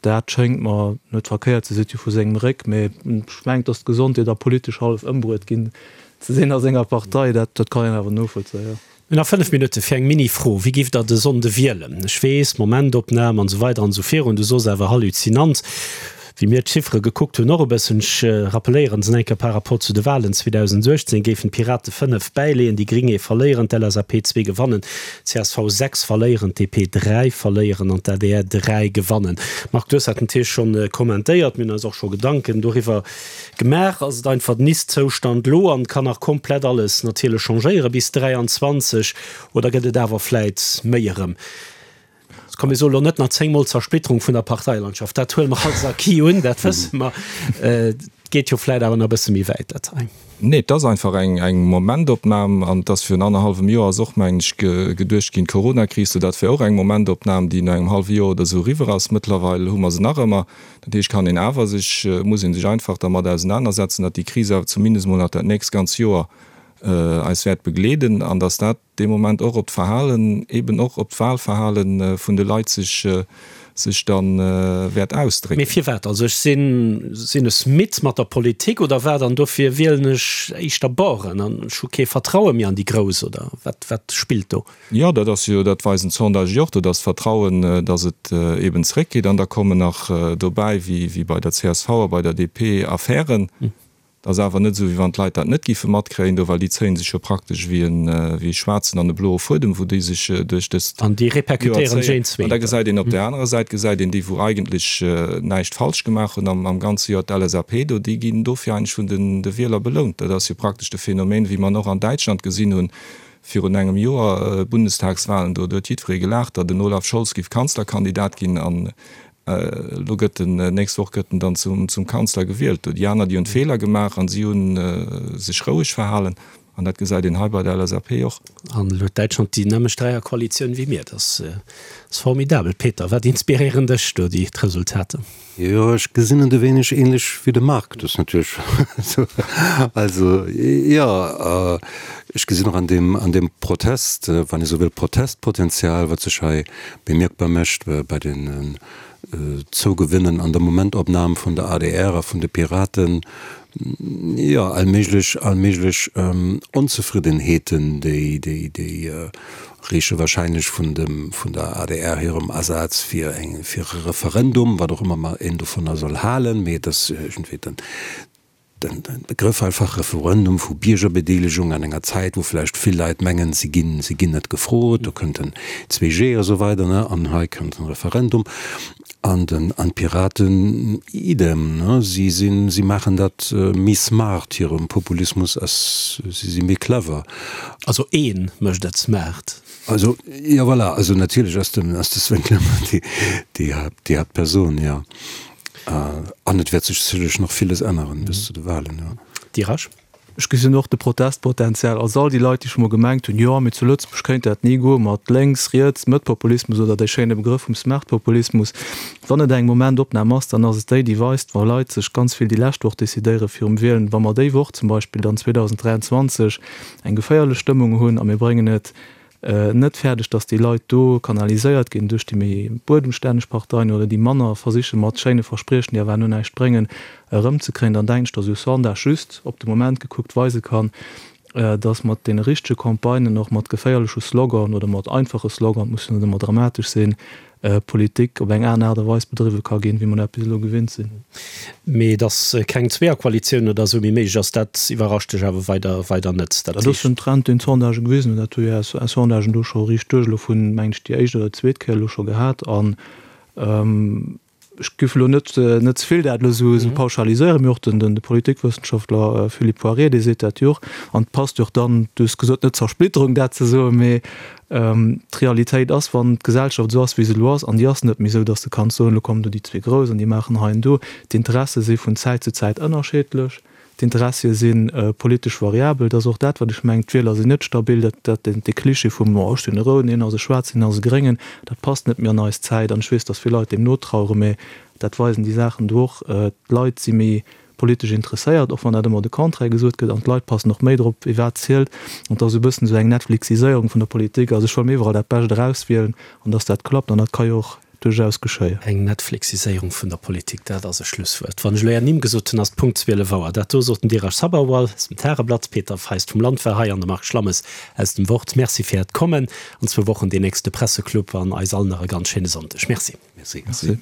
Dat schéngt mer net verkéiert ze sinn, vu sengem Réck, mee ech mengen, dass d'Gesondheet a politesch hallef ëmbruet ginn ze sinn a senger Partei, dat kann een awer novollzéien. Mir hunn nach 5 Minutte fir eng Mini-Fro, Wie giff der de Sonnde wielen? Ech weess, Momentopnam an esou weider an esou virun, du sos awer halluzinant, wéi mir d'Chiffere gekuckt hunn, och e bëssen. Ech rappeléieren se eng Kéier par rapport zu de Wahlen 2018 géifen d'Pirate 5 bäileeën, déi Gring ee verléieren, d'LSAP zwee gewannen, csv 6 verléieren, d'DP 3 verléieren an d'ADR 3 gewannen. Marc, du hues dat natierlech schonn kommentéiert, mir hunn eis och scho Gedanken doriwwer Gemaach ass et einfach den Ist-Zoustand lo an kann nach komplett alles natierlech changéieren bis 23 oder gëtt et awer vläit méi erëm? Komm mir soe lo net nach 10 mol Zersplitterung vun der Parteilandschaft, dat huele mer als acquis un, dat wësse mer. Et geet jo vläit awer nach e bësse méi wäit dat hei. Nee, et ass einfach eng eng Momentopnam an et ass virun annerhallwem Joer ass och, mengen ech, geduecht ginn, d'Coronakris, sou dat wär och eng Momentopnam, déi no engem hallwe Joer oder esou eriwwer ass. Mëttlerweil hu mer se nach ëmmer. Dat heescht, kann een awer sech, muss ee sech einfach dermat ausenanersetzen, datt déi Kris awer zumindest emol nach dat nächst ganz Joer eis wäert begleeden an datt dat dee Moment och op d'Verhalen, eben och op d'Wahlverhale vun de Leit sech, sech da wäert ausdrécken. Mee firwat? Also ech sinn, sinn es midd mat der Politik oder wat an dofir wielen ech éischter Baueren an ech hu kee Vertraue méi an déi Grouss oder wat, wat spillt do? Jo, dat ass jo, dat weisen d'Sondagë jo och, do ass d'Vertrauen, datt et eben zeréckgeet. An da kommen nach dobäi, wéi bei der csv a bei der DP, Affären. Dat ass awer net esou, wéi wann d'Leit dat net géife matkréien do, well déi zéie sech jo praktesch wéi e schwaarzen an e bloe Fuedem, wou déi sech duerch dëst An déi Joer zéien. An da gesäit een op där anerer Säit gesäit een déi, wou eigentlech näischt falsch gemaach hunn am ganze Joer, d'LSAP do, déi ginn dofir eigentlech vun de Wieler belount. Dat ass jo praktesch de Phänomen, wéi mer en och an Däitschland gesinn hunn, Virun engem Joer, Bundestagswahlen, do huet jiddweree gelaacht, datt den Olaf Scholz giff Kanzlerkandidat ginn an elo gëtt en, nächst Woch gëtt en dann zum Kanzler gewielt. Do déi aner, déi hunn Feeler gemaach an si hu sech roueg verhalen an dat gesäit een hei bei der LSAP och. An elo huet Däitschland déi nämmlecht Dräierkoalitioun wéi mir. Dat ass formidabel. Peter, wat inspiréieren dech do déi d'Resultater? Jo, ech gesinn et e wéineg ähnlech wéi de Marc. Dat ass natierlech esou. Also, jo, ech gesinn och an deem, an deem Protest, wann ee sou wëll, Protestpotenzial, wat sech hei bemierkbar mécht bei den Zougewinnen an der Momentopnam vun der adr a vun de Piraten, jo, all méiglech, all méiglech Onzefriddenheeten, déi, déi, déi Reeche wahrscheinlech vun dem, vun der adr hirem Asaz fir eng, fir e Referendum, wat och ëmmer mer een dovunner soll halen, mee et ass iergendwéi den, den, den Begrëff einfach Referendum vu Biergerbedeelegung an enger Zäit, wou vläicht vill Leit mengen, si ginn, si ginn net gefrot, do kënnt den 2G a sou weider, ne, an hei kënnt den Referendum. An den, an d'Piraten idem, ne, si sinn, si maachen dat méi smart, hirem Populismus ass, si si méi clever. Also ee mécht et smart. Also, jo voilà, also natierlech ass den, ass de Sven Clement déi, déi Haapt, déi Haaptperson, jo. An et wäert sech sécherlech nach villes änneren bis zu de Wahlen, jo. Dirasch. Ech gesinn och de Protestpotenzial. Also all déi Leit, déi scho mol gemengt hunn, jo, mee zu Lëtzebuerg kéint dat ni goe mat lénks, riets, Mëttpopulismus oder dee schéine Begrëff vum Smartpopulismus. Wann et eng Momentopnam ass, dann ass et déi, déi weist, wa Leit sech ganz vill déi lescht Woch decidéiere virum Wielen, wa mer déi Woch zum Beispill dann 2023 eng geféierlech Stëmmung hunn a mir bréngen et net fäerdeg, datt déi Leit do kanaliséiert ginn duerch déi méi buedemstänneg Parteien oder déi manner versiche mat schéine Verspriechen, déi awer herno näischt bréngen, erëmzekréien, dann denken ech, datt esou Sondage just op de Moment gekuckt weise kann, datt mat deene richtege Campagnen, och mat geféierleche Sloganen oder mat einfache Sloganen, et muss jo net ëmmer dramatesch sinn, Politik op eng aner Aart a Weis bedriwwe ka ginn, wéi mer dat bis elo gewinnt sinn. Mee datt keng Zweeërkoalitioun oder esou méi méiglech ass, dat iwwerrascht dech awer weider, weider net. Dat ass en Trend, deen d'Sondagë gewisen hunn. Dat hu jo eis Sondagen do scho riicht duerch elo vun, mengen ech, déi éischt oder zweet Kéier elo scho gehat. An ech géif elo net, net ze vill dat elo esou pauschaliséieren, mee och den, de Politikwëssenschaftler Philippe Poirier, dee seet dat jo och. An et passt jo och dann, du hues gesot, net Zersplitterung dat ze soen, mee D'Realitéit ass, wann d'Gesellschaft esou ass, wéi se elo ass, an déi ass net méi esou, datt s de kanns soen, elo kommen do déi zwee Grouss an déi maachen hei an do. D'Interesse si vun Zäit zu Zäit ënnerscheedlech. D'Interessie si politesch variabel. Dat ass och dat, wat ech mengen, d'Wieler sinn net stabil. Dat, dat, dee Klischee vum, oh, ech sinn e Rouden, hien ass e Schwaarzen, hien ass e Gréngen, dat passt net méi an eis Zäit. An ech weess, datt vill Leit deem notraueren, mä dat weisen déi Saachen do och, d'Leit si méi. politesch interesséiert, och wann dat ëmmer de Contraire gesot gëtt, an d'Leit passen och méi drop, wie wat zielt. An et ass esou e bëssen esou eng Netflixiséierung vun der Politik. Also ech wëll mir iwwerall dat Bescht erauswielen an dass dat klappt an dat ka jo och duerchaus geschéien. Eng Netflixiséierung vun der Politik, dat ass e Schlusswuert. Wann ech elo Är Nimm gesot hunn, ass et Punkt 12 Auer. Dat do sot den Dheeraj Sabharwal aus dem Tageblatt, Peter Feist vum Land war hei an de Marc Schlammes aus dem Wort. Merci fir Äert Kommen. An zwou Wochen deen nächste Presseclub an eis all nach e ganz schéine Sonndeg. Merci. Merci.